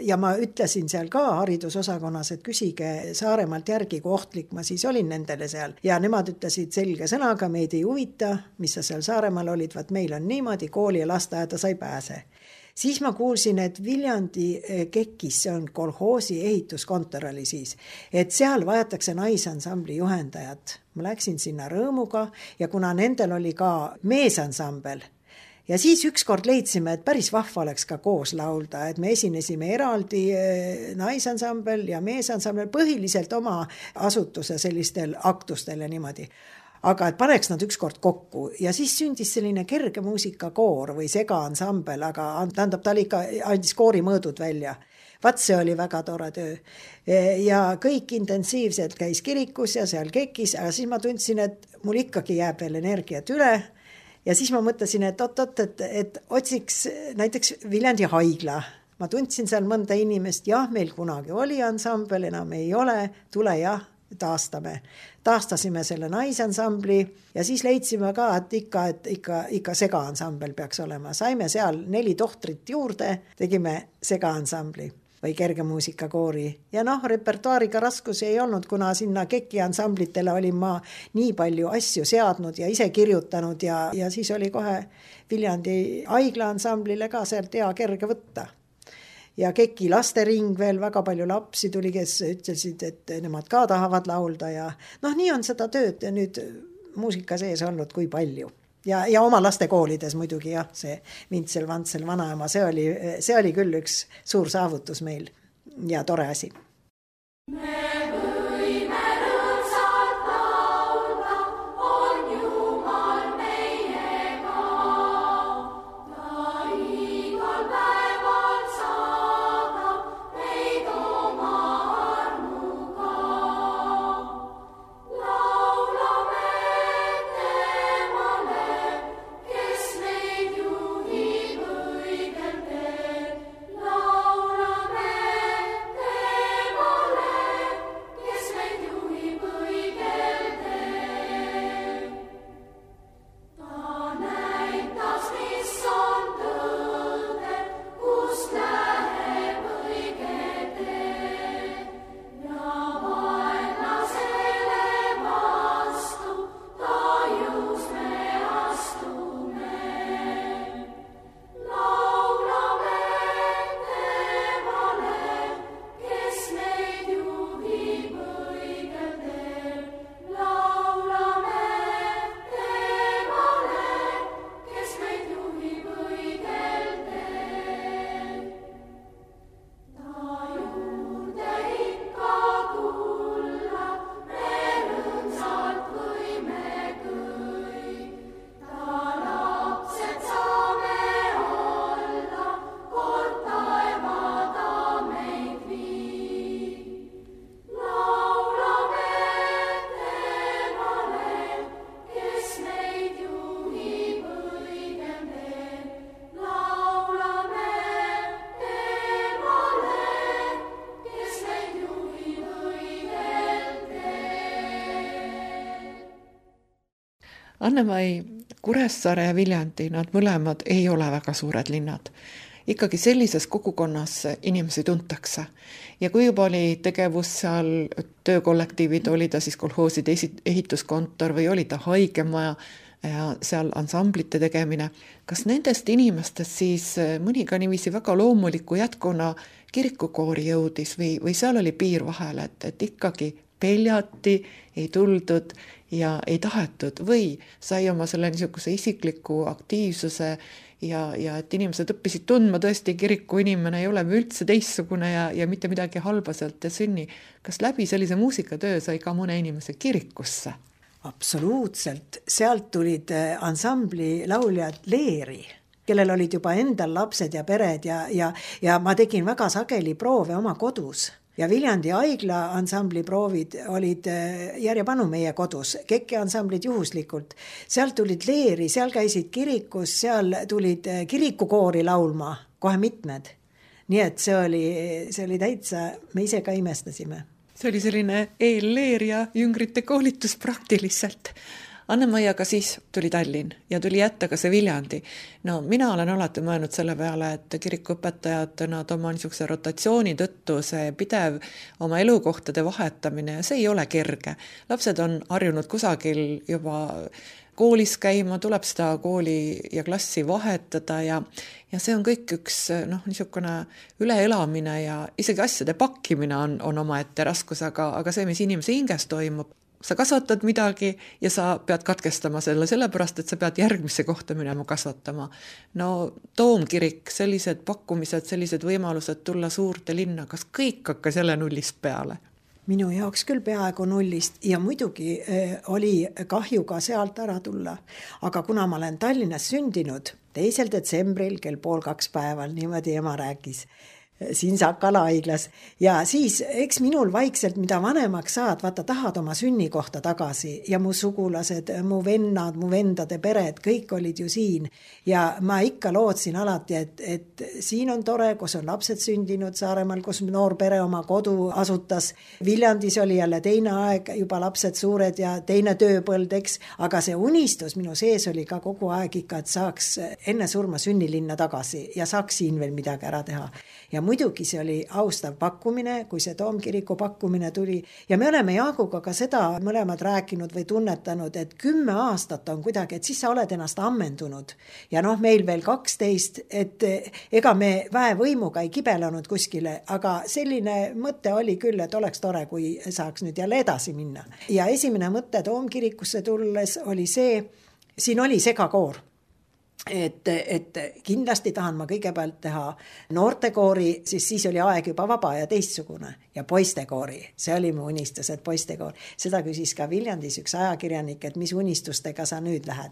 Ja ma ütlesin seal ka haridusosakonnas, et küsige Saaremaalt järgi, kui ohtlik ma siis olin nendele seal. Ja nemad ütlesid selge sõnaga, meid ei huvita, mis sa seal Saaremaal olid, vaat meil on niimoodi, kooli ja lasteaeda sa ei pääse. Siis ma kuulsin, et Viljandi Kekis, see on kolhoosi ehituskontor oli siis, et seal vajatakse naisansambli juhendajat. Ma läksin sinna rõõmuga ja kuna nendel oli ka meesansambel, ja siis ükskord leidsime, et päris vahva oleks ka koos laulda, et me esinesime eraldi naisansambel ja meesansambel põhiliselt oma asutuse sellistel aktustel ja niimoodi. Aga et paneks nad ükskord kokku ja siis sündis selline kerge muusikakoor või segaansambel, aga tähendab, ta ikka andis koori mõõdud välja. Vaat see oli väga tore töö. Ja kõik intensiivselt käis kirikus ja seal Kekis, aga siis ma tundsin, et mul ikkagi jääb veel energiat üle. Ja siis ma mõtlesin, et et otsiks näiteks Viljandi haigla. Ma tundsin seal mõnda inimest, jah, meil kunagi oli ansambel, enam ei ole, tule jah, taastasime selle naisansambli ja siis leidsime ka, et ikka segaansambel peaks olema. Saime seal 4 tohtrit juurde, tegime segaansambli või kerge muusikakoori. Ja repertuaariga raskusi ei olnud, kuna sinna Keki ansamblitele olin ma nii palju asju seadnud ja ise kirjutanud ja siis oli kohe Viljandi haigla ansamblile ka sealt hea kerge võtta. Ja Keki lastering veel, väga palju lapsi tuli, kes ütlesid, et nemad ka tahavad laulda ja nii on seda tööd ja nüüd muusika sees olnud kui palju. Ja oma lastekoolides muidugi jah, see Vintsel, Vantsel, Vanaema, see oli küll üks suur saavutus meil ja tore asi. Anne-Mai, Kuressaare ja Viljandi, nad mõlemad ei ole väga suured linnad. Ikkagi sellises kogukonnas inimesi tuntakse. Ja kui juba oli tegevus seal töökollektiivid, oli ta siis kolhooside ehituskontor või oli ta haigemaja ja seal ansamblite tegemine. Kas nendest inimestest siis mõni ka niiviisi väga loomuliku jätkuna kirikukoori jõudis või seal oli piir vahel, et ikkagi peljati, ei tuldud ja ei tahetud või sai oma selle niisuguse isikliku aktiivsuse ja et inimesed õppisid tundma tõesti kiriku inimene ei ole üldse teistsugune ja mitte midagi halba sealt ei sünni. Kas läbi sellise muusikatöö sai ka mõne inimese kirikusse? Absoluutselt. Sealt tulid ansambli lauljad leeri, kellel olid juba endal lapsed ja pered ja ma tegin väga sageli proove oma kodus. Ja Viljandi haigla ansambli proovid olid järjepanu meie kodus, Keki ansamblid juhuslikult. Seal tulid leeri, seal käisid kirikus, seal tulid kirikukoori laulma, kohe mitmed. Nii et see oli täitsa, me ise ka imestasime. See oli selline eelleer ja jüngrite koolitus praktiliselt. Anne-Maiaga siis tuli Tallinn ja tuli jätta ka see Viljandi. No mina olen alati mõelnud selle peale, et kirikuõpetajad, nad oma niisuguse rotatsiooni tõttu, see pidev oma elukohtade vahetamine, see ei ole kerge. Lapsed on harjunud kusagil juba koolis käima, tuleb seda kooli ja klassi vahetada ja see on kõik üks niisugune üleelamine ja isegi asjade pakkimine on omaette raskus, aga see, mis inimese hinges toimub, sa kasvatad midagi ja sa pead katkestama selle, sellepärast, et sa pead järgmisse kohta minema kasvatama. No Toomkirik, sellised pakkumised, sellised võimalused tulla suurde linna, kas kõik hakkas jälle nullist peale? Minu jaoks küll peaaegu nullist ja muidugi oli kahju ka sealt ära tulla. Aga kuna ma olen Tallinnas sündinud 2. detsembril kell 1:30 päeval, niimoodi ema rääkis, siin Sakala haiglas. Ja siis, eks minul vaikselt, mida vanemaks saad, vaata tahad oma sünnikohta tagasi ja mu sugulased, mu vennad, mu vendade pered, kõik olid ju siin. Ja ma ikka lootsin alati, et siin on tore, kus on lapsed sündinud Saaremaal, kus noor pere oma kodu asutas. Viljandis oli jälle teine aeg, juba lapsed suured ja teine tööpõld, eks. Aga see unistus minu sees oli ka kogu aeg ikka, et saaks enne surma sünnilinna tagasi ja saaks siin veel midagi ära teha. Ja muidugi see oli austav pakkumine, kui see Toomkiriku pakkumine tuli. Ja me oleme Jaaguga ka seda mõlemad rääkinud või tunnetanud, et 10 aastat on kuidagi, et siis sa oled ennast ammendunud. Ja meil veel 12, et ega me väevõimuga ei kibelenud kuskile, aga selline mõte oli küll, et oleks tore, kui saaks nüüd jälle edasi minna. Ja esimene mõte Toomkirikusse tulles oli see, siin oli segakoor. Et kindlasti tahan ma kõigepealt teha noortekoori, siis oli aeg juba vaba ja teistsugune ja poistekoori, see oli mu unistus, et poistekoor. Seda küsis ka Viljandis üks ajakirjanik, et mis unistustega sa nüüd lähed.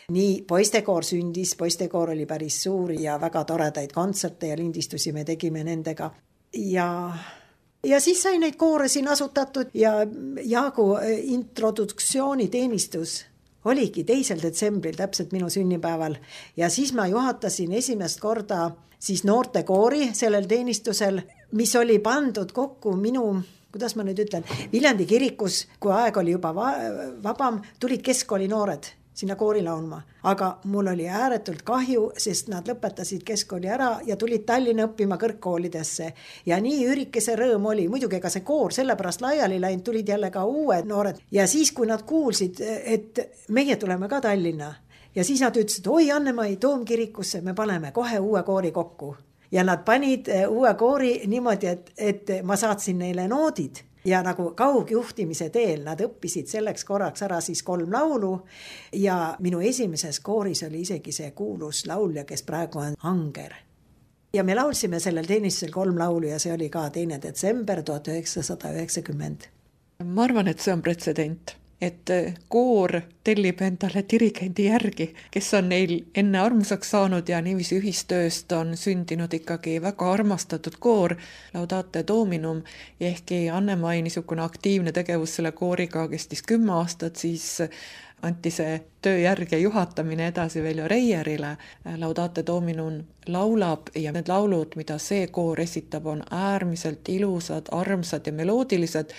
Nii poistekoor sündis, poistekoor oli päris suur ja väga toredaid kontserte ja lindistusi me tegime nendega ja siis sai neid koore siin asutatud ja Jaagu introduktsiooniteenistus oligi 2. detsembril täpselt minu sünnipäeval ja siis ma juhatasin esimest korda siis noortekoori sellel teenistusel, mis oli pandud kokku minu, kuidas ma nüüd ütlen, Viljandi kirikus, kui aeg oli juba vabam, tulid keskkooli noored sinna koori laulma. Aga mul oli ääretult kahju, sest nad lõpetasid keskkooli ära ja tulid Tallinna õppima kõrgkoolidesse. Ja nii üürikese rõõm oli. Muidugi ka see koor sellepärast laiali läinud, tulid jälle ka uued noored. Ja siis, kui nad kuulsid, et meie tuleme ka Tallinna ja siis nad ütlesid, oi Anne-Mai, Toomkirikusse me paneme kohe uue koori kokku. Ja nad panid uue koori niimoodi, et ma saatsin neile noodid. Ja nagu kaugjuhtimise teel nad õppisid selleks korraks ära siis 3 laulu ja minu esimeses kooris oli isegi see kuulus laulja, kes praegu on Anger. Ja me laulsime sellel teenistusel 3 laulu ja see oli ka 2. detsember 1990. Ma arvan, et see on pretsedent, et koor tellib endale dirigendi järgi, kes on neil enne armusaks saanud ja niiviisi ühistööst on sündinud ikkagi väga armastatud koor, Laudate Dominum, ja ehkki Anne-Mai niisugune aktiivne tegevus selle kooriga kestis 10 aastat, siis anti see töö järg ja juhatamine edasi Veljo Reierile. Laudate Dominum laulab ja need laulud, mida see koor esitab, on äärmiselt ilusad, armsad ja meloodilised.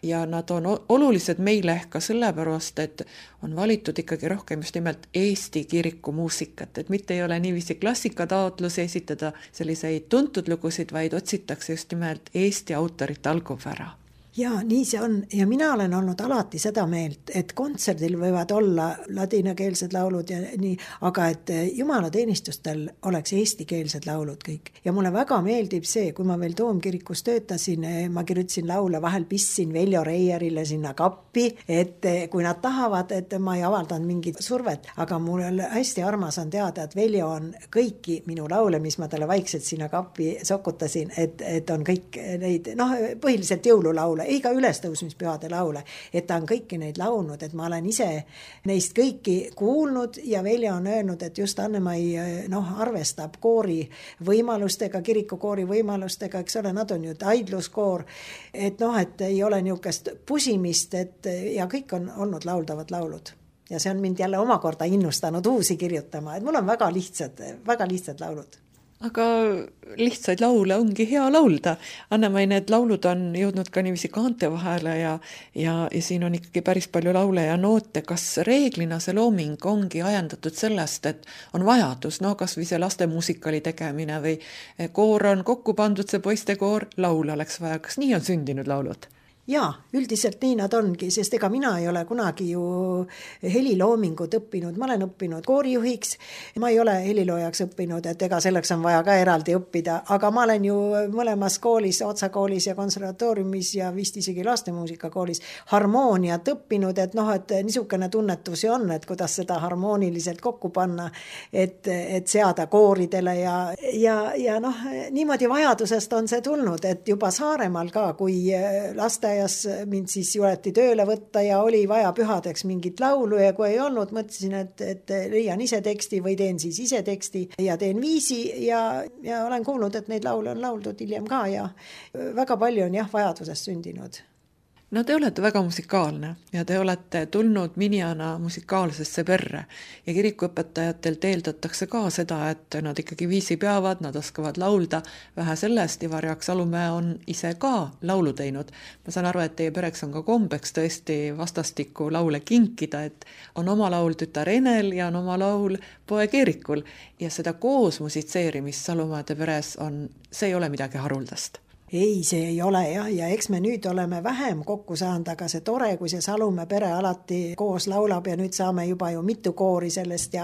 Ja nad on olulised meile ka sellepärast, et on valitud ikkagi rohkem just nimelt Eesti kiriku muusikat, et mitte ei ole niiviisi klassikataotlusi esitada selliseid tuntud lugusid, vaid otsitakse just nimelt Eesti autorite algupära. Ja nii see on ja mina olen olnud alati seda meelt, et kontserdil võivad olla ladinakeelsed laulud ja nii, aga et jumalateenistustel oleks eestikeelsed laulud kõik. Ja mulle väga meeldib see, kui ma veel Toomkirikus töötasin, ma kirjutasin laule, vahel pistsin Veljo Reierile sinna kappi, et kui nad tahavad, et ma ei avaldanud mingit survet, aga mul hästi armas on teada, et Veljo on kõiki minu laule, mis ma talle vaikselt sinna kappi sokutasin, et on kõik neid, põhiliselt jõululaule, ei ka ülestõusmispühade laule, et ta on kõiki neid laulnud, et ma olen ise neist kõiki kuulnud ja Veljo on öelnud, et just Anne-Mai arvestab koori võimalustega, kirikukoori võimalustega, eks ole, nad on ju aidluskoor, et et ei ole niisugust pusimist, ja kõik on olnud lauldavad laulud. Ja see on mind jälle omakorda innustanud uusi kirjutama, et mul on väga lihtsad laulud. Aga lihtsaid laule ongi hea laulda. Anne-Mai, need laulud on jõudnud ka niiviisi kaante vahele ja siin on ikkagi päris palju laule ja noote. Kas reeglina see looming ongi ajendatud sellest, et on vajadus, no kas või see lastemuusikali tegemine või koor on kokku pandud, see poistekoor, laule oleks vaja. Kas nii on sündinud laulud? Jaa, üldiselt nii nad ongi, sest ega mina ei ole kunagi ju heliloomingut õppinud, ma olen õppinud koorijuhiks, ma ei ole heliloojaks õppinud, et ega selleks on vaja ka eraldi õppida, aga ma olen ju mõlemas koolis, Otsa koolis ja konservatooriumis ja vist isegi lastemuusikakoolis harmooniat õppinud, et et niisugune tunnetus on, et kuidas seda harmooniliselt kokku panna, et seada kooridele ja niimoodi vajadusest on see tulnud, et juba Saaremaal ka, kui laste mind siis juleti tööle võtta ja oli vaja pühadeks mingit laulu ja kui ei olnud, mõtlesin, et leian ise teksti või teen siis ise teksti ja teen viisi ja olen kuulnud, et neid laule on lauldud hiljem ka ja väga palju on vajadusest sündinud. No te olete väga musikaalne ja te olete tulnud Minijana musikaalsesse perre ja kirikuõpetajatelt eeldatakse ka seda, et nad ikkagi viisi peavad, nad oskavad laulda. Vähe sellest, Ivar Jaak Salumäe on ise ka laulu teinud. Ma saan aru, et teie pereks on ka kombeks tõesti vastastikku laule kinkida, et on oma laul tütar Enel ja on oma laul poeg Eerikul ja seda koos musitseerimist Salumäede peres see ei ole midagi haruldast. Ei, see ei ole ja eks me nüüd oleme vähem kokku saanud, aga see tore, kui see Salumäe pere alati koos laulab ja nüüd saame juba ju mitu koori sellest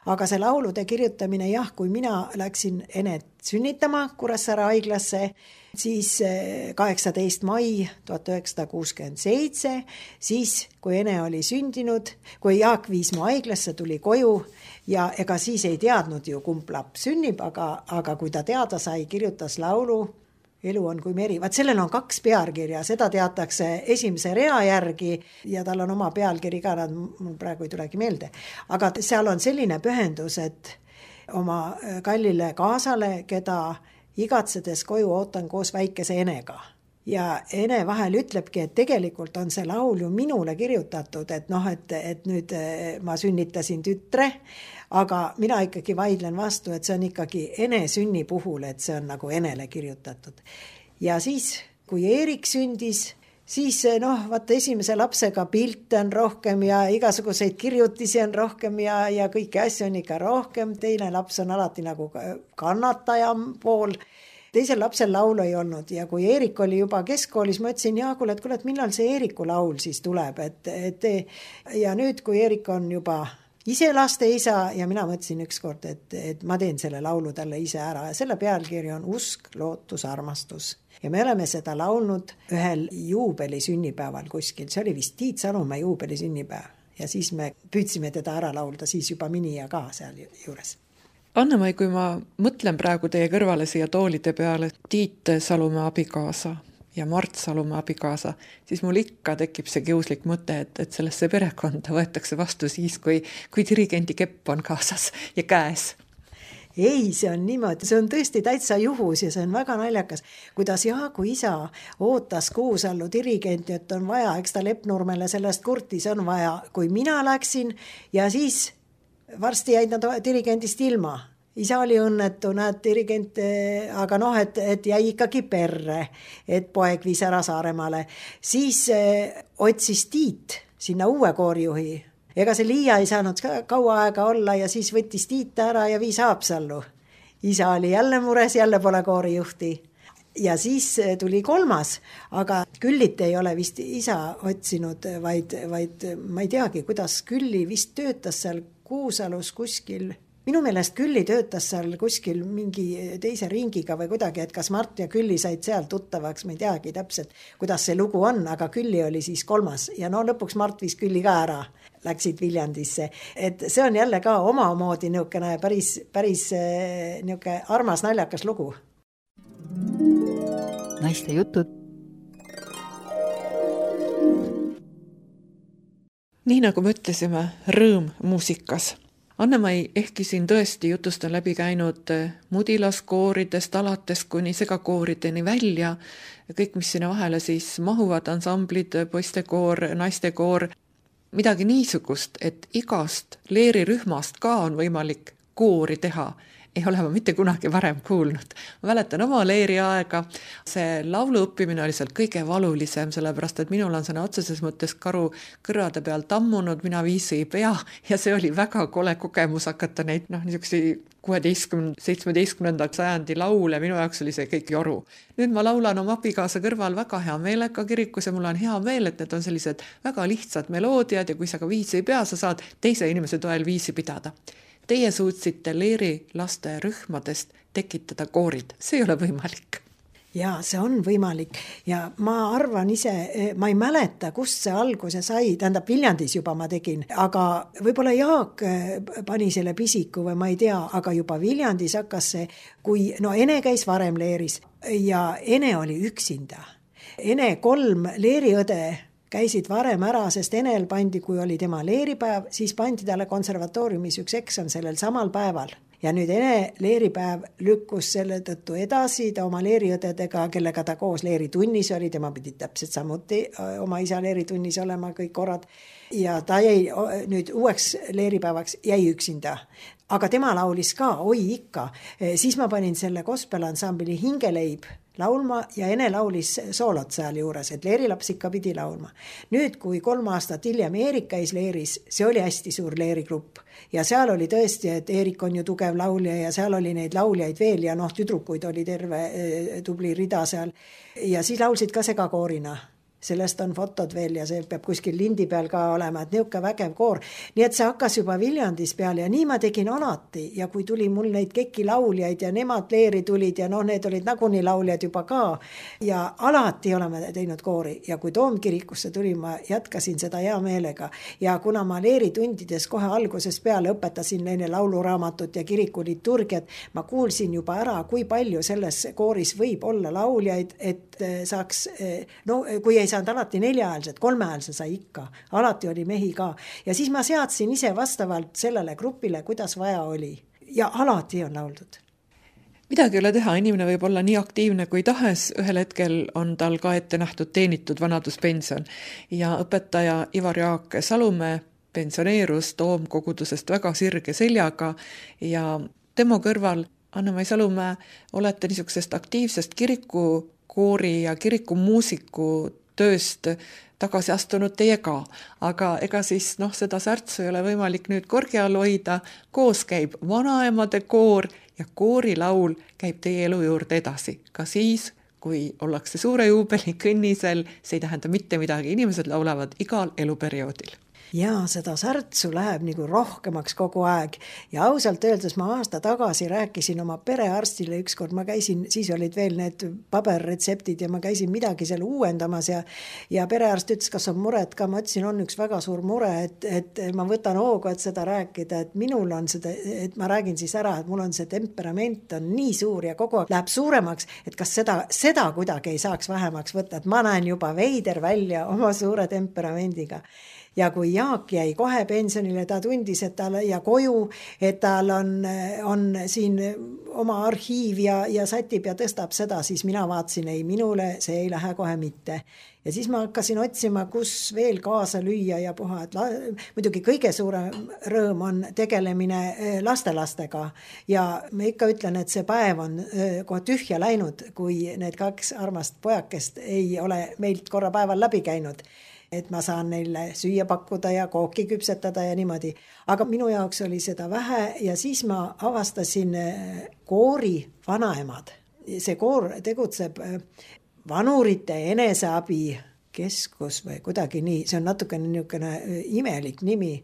aga see laulude kirjutamine kui mina läksin Enet sünnitama Kuressaare haiglasse, siis 18. mai 1967, siis kui Ene oli sündinud, kui Jaak viis mu haiglasse, tuli koju ja ega siis ei teadnud ju, kumb laps sünnib, aga kui ta teada sai, kirjutas laulu Elu on kui meri. Vaat sellel on 2 pealkirja, seda teatakse esimese rea järgi ja tal on oma pealkiri ka, mul praegu ei tulegi meelde. Aga seal on selline pühendus, et oma kallile kaasale, keda igatsedes koju ootan koos väikese Enega. Ja Ene vahel ütlebki, et tegelikult on see laul ju minule kirjutatud, et nüüd ma sünnitasin tütre, aga mina ikkagi vaidlen vastu, et see on ikkagi Ene sünni puhul, et see on nagu Enele kirjutatud. Ja siis, kui Eerik sündis, siis vaata esimese lapsega pilte on rohkem ja igasuguseid kirjutisi on rohkem ja kõiki asju on ikka rohkem. Teine laps on alati nagu kannataja pool. Teisel lapsel laulu ei olnud ja kui Eerik oli juba keskkoolis, ma ütlesin Jaagule, et millal see Eeriku laul siis tuleb. Ja nüüd, kui Eerik on juba ise laste isa ja mina mõtlesin ükskord, et ma teen selle laulu talle ise ära ja selle pealkiri on Usk, lootus, armastus. Ja me oleme seda laulnud ühel juubeli sünnipäeval kuskil, see oli vist Tiit Salumäe juubeli sünnipäev ja siis me püüdsime teda ära laulda, siis juba Minija ka seal juures. Anne-Mai, kui ma mõtlen praegu teie kõrvale siia toolide peale Tiit Salumäe abikaasa ja Mart Salumäe abikaasa, siis mul ikka tekib see kiuslik mõte, et sellesse perekonda võetakse vastu siis, kui dirigendi kepp on kaasas ja käes. Ei, see on niimoodi, see on tõesti täitsa juhus ja see on väga naljakas. Kuidas Jaagu isa ootas Kuusallu dirigenti, et on vaja, eks ta Lepnurmele sellest kurtis on vaja, kui mina läksin ja siis varsti jäid nad dirigendist ilma. Isa oli õnnetu, näed dirigent, aga et jäi ikkagi perre, et poeg viis ära Saaremaale. Siis otsis Tiit sinna uue koorijuhi. Ega see Liia ei saanud kaua aega olla ja siis võttis Tiit ära ja viis Haapsallu. Isa oli jälle mures, jälle pole koorijuhti. Ja siis tuli 3, aga Küllit ei ole vist isa otsinud, vaid ma ei teagi, kuidas Külli vist töötas seal Kuusalus kuskil. Minu meelest Külli töötas seal kuskil mingi teise ringiga või kuidagi, et kas Mart ja Külli said seal tuttavaks, ma ei teagi täpselt, kuidas see lugu on, aga Külli oli siis 3. Ja lõpuks Mart viis Külli ka ära, läksid Viljandisse. Et see on jälle ka omamoodi niisugune päris niisugune armas naljakas lugu. Naiste jutud. Nii nagu me ütlesime, rõõm muusikas. Anne-Mai, ehkki siin tõesti jutust on läbi käinud mudilaskooridest alates kuni segakoorideni välja, kõik, mis sinna vahele siis mahuvad, ansamblid, poistekoor, naistekoor, midagi niisugust, et igast leerirühmast ka on võimalik koori teha, ei ole ma mitte kunagi varem kuulnud. Ma mäletan oma leeri aega, see laulu õppimine oli seal kõige valulisem, sellepärast et minul on sõna otseses mõttes karu kõrvade peal tammunud, mina viisi ei pea ja see oli väga kole kogemus hakata neid niisuguseid 16-17. sajandi laule, minu jaoks oli see kõik joru. Nüüd ma laulan oma abikaasa kõrval väga hea meelega kirikus ja mul on hea meel, et need on sellised väga lihtsad meloodiad ja kui sa ka viisi ei pea, sa saad teise inimese toel viisi pidada. Teie suutsite leeri laste rühmadest tekitada koorid. See ei ole võimalik. Jaa, see on võimalik ja ma arvan ise, ma ei mäleta, kust see alguse sai, tähendab Viljandis juba ma tegin, aga võib-olla Jaak pani selle pisiku või ma ei tea, aga juba Viljandis hakkas see, kui Ene käis varem leeris ja Ene oli üksinda. Ene 3 leeriõde käisid varem ära, sest Enel pandi, kui oli tema leeripäev, siis pandi talle konservatooriumis üks eksam sellel samal päeval. Ja nüüd Ene leeripäev lükkus selle tõttu edasi, ta oma leeriõdedega, kellega ta koos leeritunnis oli, tema pidi täpselt samuti oma isa leeritunnis olema kõik korrad. Ja ta jäi nüüd uueks leeripäevaks, jäi üksinda. Aga tema laulis ka, oi ikka. Siis ma panin selle gospelansambli Hingeleib laulma ja Ene laulis soolot seal juures, et leerilaps ikka pidi laulma. Nüüd, kui 3 aastat hiljem Eerik käis leeris, see oli hästi suur leerigrupp. Ja seal oli tõesti, et Eerik on ju tugev laulja ja seal oli neid lauljaid veel ja tüdrukuid oli terve tubli rida seal. Ja siis laulsid ka segakoorina. Sellest on fotod veel ja see peab kuskil lindi peal ka olema, et niuke vägev koor. Nii et see hakkas juba Viljandis peal ja nii ma tegin alati ja kui tuli mul neid keki lauljaid ja nemad leeri tulid ja need olid nagunii lauljad juba ka ja alati oleme teinud koori ja kui Toomkirikusse tuli, ma jatkasin seda hea meelega ja kuna ma leeritundides kohe alguses peale õpetasin neile lauluraamatut ja kirikuliturgiat, ma kuulsin juba ära, kui palju selles kooris võib olla lauljaid, et saaks, kui ei saanud alati 4-häälsed, 3-häälse sai ikka, alati oli mehi ka ja siis ma seadsin ise vastavalt sellele grupile, kuidas vaja oli ja alati on lauldud. Midagi ei ole teha, inimene võib olla nii aktiivne kui tahes, ühel hetkel on tal ka ette nähtud teenitud vanaduspension ja õpetaja Ivar Jaak Salumäe pensioneerus Toomkogudusest väga sirge seljaga ja tema kõrval Anne-Mai Salumäe olete niisugusest aktiivsest kirikukoori ja kirikumuusiku tööst tagasi astunud teie ka, aga ega siis seda särtsu ei ole võimalik nüüd korgi all hoida, koos käib vanaemade koor ja koorilaul käib teie elu juurde edasi, ka siis, kui ollakse suure juubeli kõnnisel, see ei tähenda mitte midagi, inimesed laulavad igal eluperioodil. Ja seda särtsu läheb nagu rohkemaks kogu aeg ja ausalt öeldes ma aasta tagasi rääkisin oma perearstile ükskord, ma käisin, siis olid veel need paberretseptid ja ma käisin midagi seal uuendamas ja perearst ütles, kas on muret ka, ma ütlesin, on üks väga suur mure, et ma võtan hoogu, et seda rääkida, et minul on seda, et ma räägin siis ära, et mul on see temperament on nii suur ja kogu aeg läheb suuremaks, et kas seda kuidagi ei saaks vähemaks võtta, et ma näen juba veider välja oma suure temperamendiga. Ja kui Jaak jäi kohe pensionile, ta tundis, et tal ja koju, et tal on siin oma arhiiv ja sätib ja tõstab seda, siis mina vaatasin, ei minule, see ei lähe kohe mitte. Ja siis ma hakkasin otsima, kus veel kaasa lüüa ja puha, et muidugi kõige suurem rõõm on tegelemine lastelastega ja ma ikka ütlen, et see päev on kohe tühja läinud, kui need 2 armast pojakest ei ole meilt korra päeval läbi käinud. Et ma saan neile süüa pakkuda ja kooki küpsetada ja niimoodi. Aga minu jaoks oli seda vähe ja siis ma avastasin koori vanaemad. See koor tegutseb vanurite eneseabi keskus või kuidagi nii, see on natukene niisugune imelik nimi.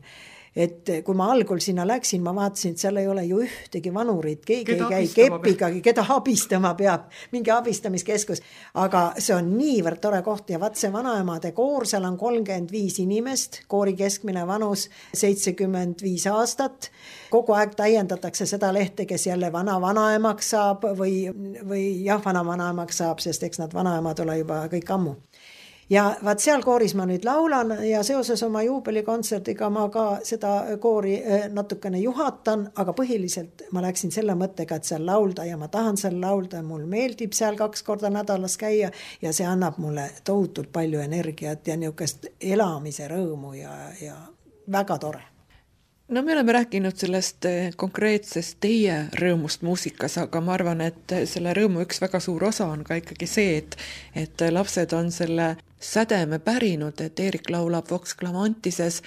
Et kui ma algul sinna läksin, ma vaatasin, et seal ei ole ju ühtegi vanurit, keegi ei käi kepigagi, keda abistama peab, mingi abistamiskeskus. Aga see on niivõrd tore koht ja vaat see vanaemade koor, seal on 35 inimest, koori keskmine vanus 75 aastat. Kogu aeg täiendatakse seda lehte, kes jälle vanaemaks saab või vanaemaks saab, sest eks nad vanaemad ole juba kõik ammu. Ja vaat seal kooris ma nüüd laulan ja seoses oma juubelikontserdiga ma ka seda koori natukene juhatan, aga põhiliselt ma läksin selle mõttega, et seal laulda ja ma tahan seal laulda, mul meeldib seal 2 korda nädalas käia ja see annab mulle tohutult palju energiat ja niisugust elamise rõõmu ja väga tore. No me oleme rääkinud sellest konkreetsest teie rõõmust muusikas, aga ma arvan, et selle rõõmu üks väga suur osa on ka ikkagi see, et lapsed on selle sädeme pärinud, et Eerik laulab Vox Clamantises,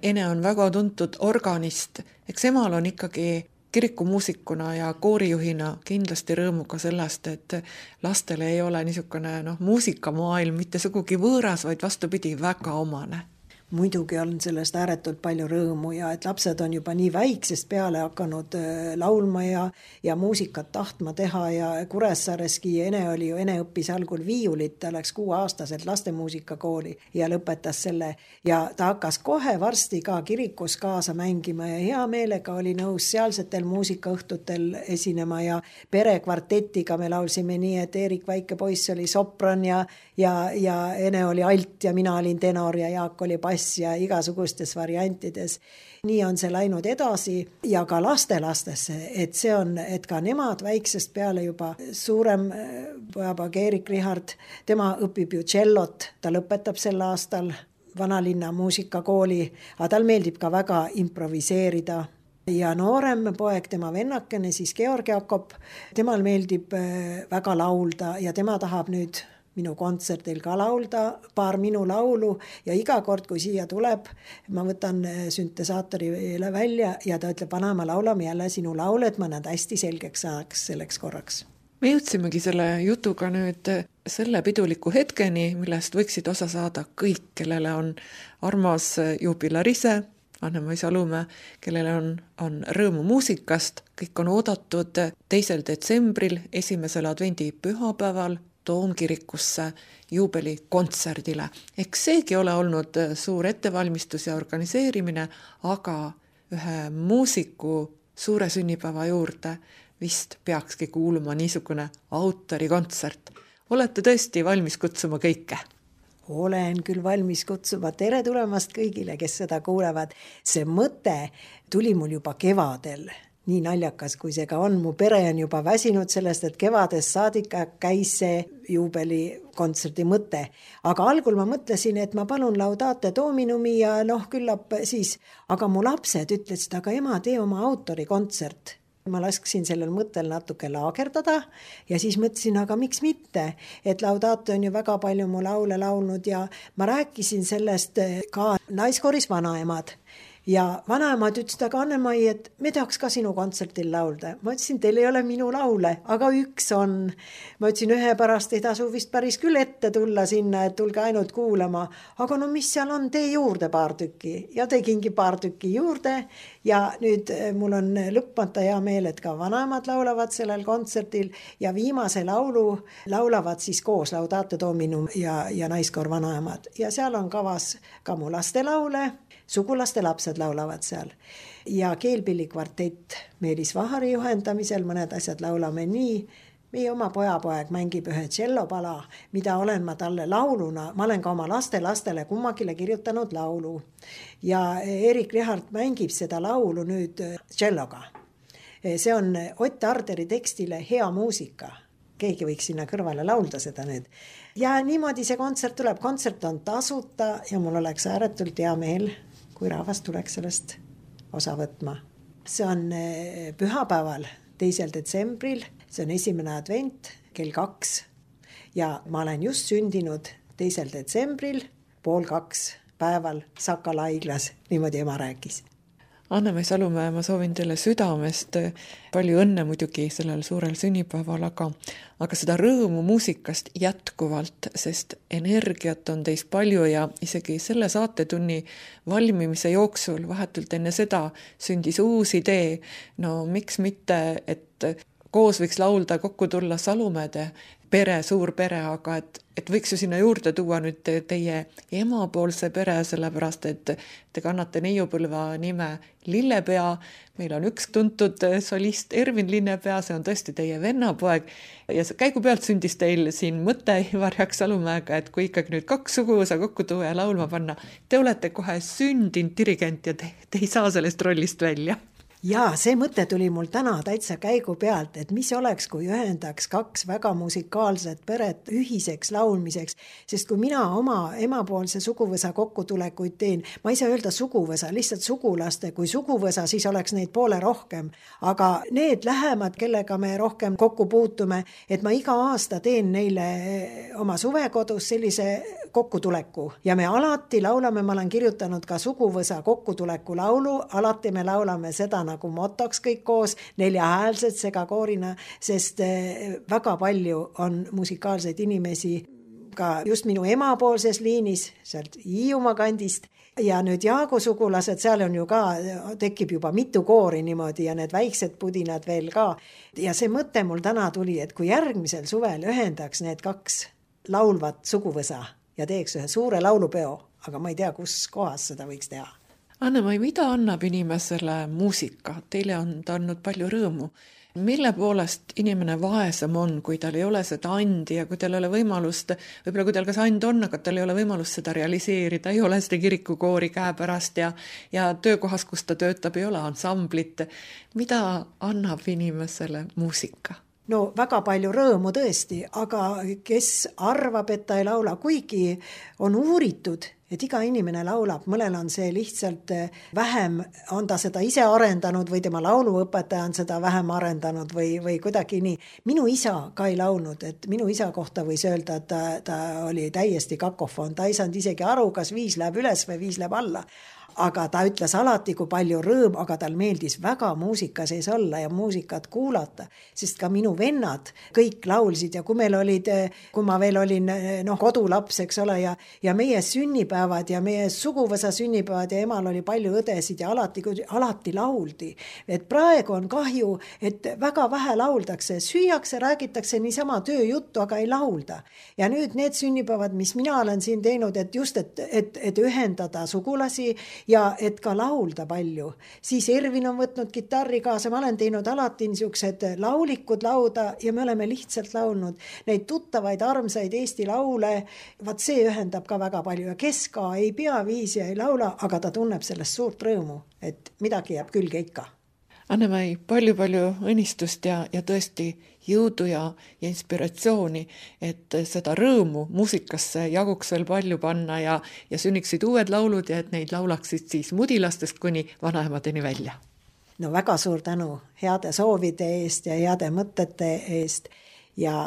Ene on väga tuntud organist, eks emal on ikkagi kirikumuusikuna ja koorijuhina kindlasti rõõmu ka sellest, et lastele ei ole niisugune muusikamaailm mitte sugugi võõras, vaid vastupidi väga omane. Muidugi on sellest ääretult palju rõõmu ja et lapsed on juba nii väiksest peale hakanud laulma ja muusikat tahtma teha ja Kuressaareski Ene õppis algul viiulit, ta läks 6-aastaselt lastemuusikakooli ja lõpetas selle ja ta hakkas kohe varsti ka kirikus kaasa mängima ja hea meelega oli nõus sealsetel muusikaõhtutel esinema ja perekvartetiga me laulsime nii, et Eerik väike poiss oli sopran ja Ene oli alt ja mina olin tenor ja Jaak oli bass ja igasugustes variantides. Nii on see läinud edasi ja ka lastelastesse, et see on, et ka nemad väiksest peale juba suurem pojapoeg Eerik Richard, tema õpib ju tšellot, ta lõpetab sel aastal Vanalinna muusikakooli, aga tal meeldib ka väga improviseerida. Ja noorem poeg, tema vennakene, siis Georg Jakob, temal meeldib väga laulda ja tema tahab nüüd minu kontserdil ka laulda paar minu laulu ja iga kord, kui siia tuleb, ma võtan süntesaatori välja ja ta ütleb, vanaema, laulame jälle sinu laule, et ma nad hästi selgeks saaks selleks korraks. Me jõudsimegi selle jutuga nüüd selle piduliku hetkeni, millest võiksid osa saada kõik, kellele on armas juubilarise, Anne-Mai Salumäe, kellele on rõõmu muusikast, kõik on oodatud 2. detsembril, 1. advendi pühapäeval, Toomkirikusse juubelikontserdile. Eks seegi ole olnud suur ettevalmistus ja organiseerimine, aga ühe muusiku suure sünnipäeva juurde vist peakski kuuluma niisugune autorikontsert. Olete tõesti valmis kutsuma kõike? Olen küll valmis kutsuma. Tere tulemast kõigile, kes seda kuulevad. See mõte tuli mul juba kevadel. Nii naljakas, kui see ka on. Mu pere on juba väsinud sellest, et kevadest saadik käis see juubelikontserdi mõte. Aga algul ma mõtlesin, et ma palun Laudate Dominumi ja küllap siis. Aga mu lapsed ütlesid, aga ema, tee oma autorikontsert. Ma lasksin sellel mõttel natuke laagerdada ja siis mõtlesin, aga miks mitte, et Laudate on ju väga palju mu laule laulnud ja ma rääkisin sellest ka naiskooris Vanaemad. Ja vanaemad ütlesid, aga Anne-Mai, et me tahaks ka sinu kontsertil laulda. Ma ütlesin, teil ei ole minu laule, aga üks on. Ma ütlesin, ühe pärast ei tasu vist päris küll ette tulla sinna, et tulge ainult kuulama. Aga no mis seal on, tee juurde paar tükki. Ja tegingi paar tükki juurde. Ja nüüd mul on lõpmata hea meel, et ka vanaemad laulavad sellel kontserdil ja viimase laulu laulavad siis koos Laudate Dominum ja naiskoor Vanaemad. Ja seal on kavas ka mu laste laule, sugulaste lapsed laulavad seal ja keelpillikvartett Meelis Vahari juhendamisel, mõned asjad laulame nii. Meie oma pojapoeg mängib ühe tšellopala, mida olen ma talle lauluna, ma olen ka oma lastele kummagile kirjutanud laulu ja Eerik Richard mängib seda laulu nüüd tšelloga. See on Ott Arderi tekstile Hea muusika. Keegi võiks sinna kõrvale laulda seda nüüd. Ja niimoodi see kontsert tuleb. Kontsert on tasuta ja mul oleks ääretult hea meel, kui rahvas tuleks sellest osa võtma. See on pühapäeval 2. detsembril, see on 1. advent kell 2 ja ma olen just sündinud 2. detsembril 1:30 päeval Sakala haiglas, niimoodi ema rääkis. Anne-Mai Salumäe, ma soovin teile südamest palju õnne muidugi sellel suurel sünnipäeval, aga seda rõõmu muusikast jätkuvalt, sest energiat on teis palju ja isegi selle saatetunni valmimise jooksul vahetult enne seda sündis uus idee. No miks mitte, et koos võiks laulda, kokku tulla Salumäede pere, suur pere, aga et võiks ju sinna juurde tuua nüüd teie emapoolse pere, sellepärast et te kannate neiupõlva nime Lillepea. Meil on üks tuntud solist Ervin Linnepea, see on tõesti teie vennapoeg ja käigu pealt sündis teil siin mõte Ivar Jaak Salumäega, et kui ikkagi nüüd 2 suguvõsa kokku tuua ja laulma panna, te olete kohe sündinud dirigent ja te ei saa sellest rollist välja. Jaa, see mõte tuli mul täna täitsa käigu pealt, et mis oleks, kui ühendaks kaks väga musikaalset peret ühiseks laulmiseks, sest kui mina oma emapoolse suguvõsa kokkutulekuid teen, ma ei saa öelda suguvõsa, lihtsalt sugulaste, kui suguvõsa, siis oleks neid poole rohkem, aga need lähemad, kellega me rohkem kokku puutume, et ma iga aasta teen neile oma suvekodus sellise kokkutuleku ja me alati laulame, ma olen kirjutanud ka suguvõsa kokkutuleku laulu, alati me laulame seda nagu motoks kõik koos, 4-häälsed segakoorina, sest väga palju on musikaalseid inimesi ka just minu emapoolses liinis, sealt Hiiumaa kandist, ja nüüd Jaagu sugulased, seal on ju ka, tekib juba mitu koori niimoodi ja need väiksed pudinad veel ka. Ja see mõte mul täna tuli, et kui järgmisel suvel ühendaks need kaks laulvat suguvõsa ja teeks ühe suure laulupeo, aga ma ei tea, kus kohas seda võiks teha. Anne-Mai, mida annab inimesele muusika? Teile on ta andnud palju rõõmu. Mille poolest inimene vaesem on, kui tal ei ole seda andi ja kui tal ei ole võimalust, võib-olla kui tal kas and on, aga tal ei ole võimalust seda realiseerida, ei ole seda kirikukoori käepärast ja töökohas, kus ta töötab, ei ole ansamblit. Mida annab inimesele muusika? No väga palju rõõmu tõesti, aga kes arvab, et ta ei laula, kuigi on uuritud, et iga inimene laulab, mõnel on see lihtsalt vähem, on ta seda ise arendanud või tema lauluõpetaja on seda vähem arendanud või kuidagi nii. Minu isa ka ei laulnud, et minu isa kohta võis öelda, et ta oli täiesti kakofon, ta ei saanud isegi aru, kas 5 läheb üles või 5 läheb alla. Aga ta ütles alati, kui palju rõõm, aga tal meeldis väga muusika sees olla ja muusikat kuulata, sest ka minu vennad kõik laulsid ja kui ma veel olin kodulaps, eks ole, ja meie sünnipäevad ja meie suguvõsa sünnipäevad ja emal oli palju õdesid ja alati lauldi. Et praegu on kahju, et väga vähe lauldakse, süüakse, räägitakse niisama tööjuttu, aga ei laulda. Ja nüüd need sünnipäevad, mis mina olen siin teinud, et just, et ühendada sugulasi ja et ka laulda palju. Siis Ervin on võtnud kitarri kaasa, ma olen teinud alati niisugused laulikud lauda ja me oleme lihtsalt laulnud neid tuttavaid armsaid Eesti laule, vaat see ühendab ka väga palju ja kes ka ei pea viisi ja ei laula, aga ta tunneb sellest suurt rõõmu, et midagi jääb külge ikka. Anne-Mai, palju õnnistust ja tõesti jõudu ja inspiratsiooni, et seda rõõmu muusikasse jaguks veel palju panna ja sünniksid uued laulud ja et neid laulaksid siis mudilastest kuni vanaemadeni välja. No väga suur tänu heade soovide eest ja heade mõtete eest ja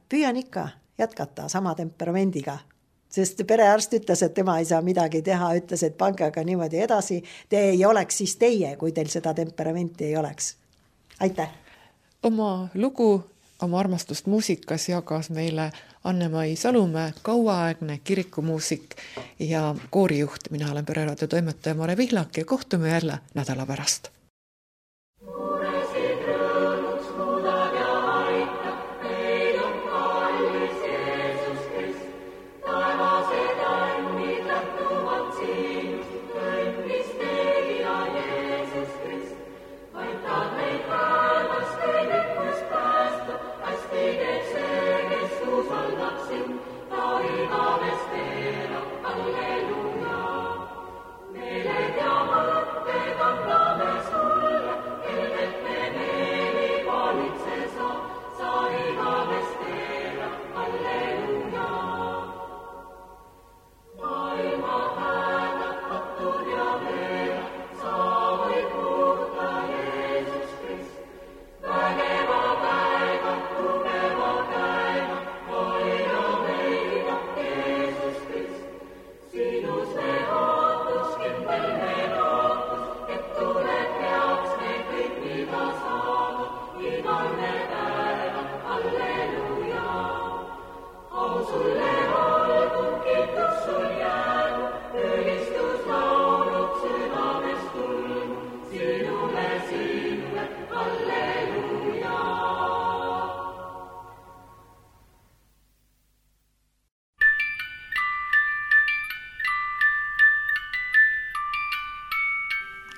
püüan ikka jätkata sama temperamendiga. Sest perearst ütles, et tema ei saa midagi teha, ütles, et pange aga niimoodi edasi, te ei oleks siis teie, kui teil seda temperamenti ei oleks. Aitäh! Oma lugu, oma armastust muusikas jagas meile Anne-Mai Salumäe, kauaaegne kirikumuusik ja koorijuht. Mina olen Pereraadio toimetaja Mare Vihlak ja kohtume jälle nädala pärast.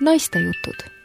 Naistejutud.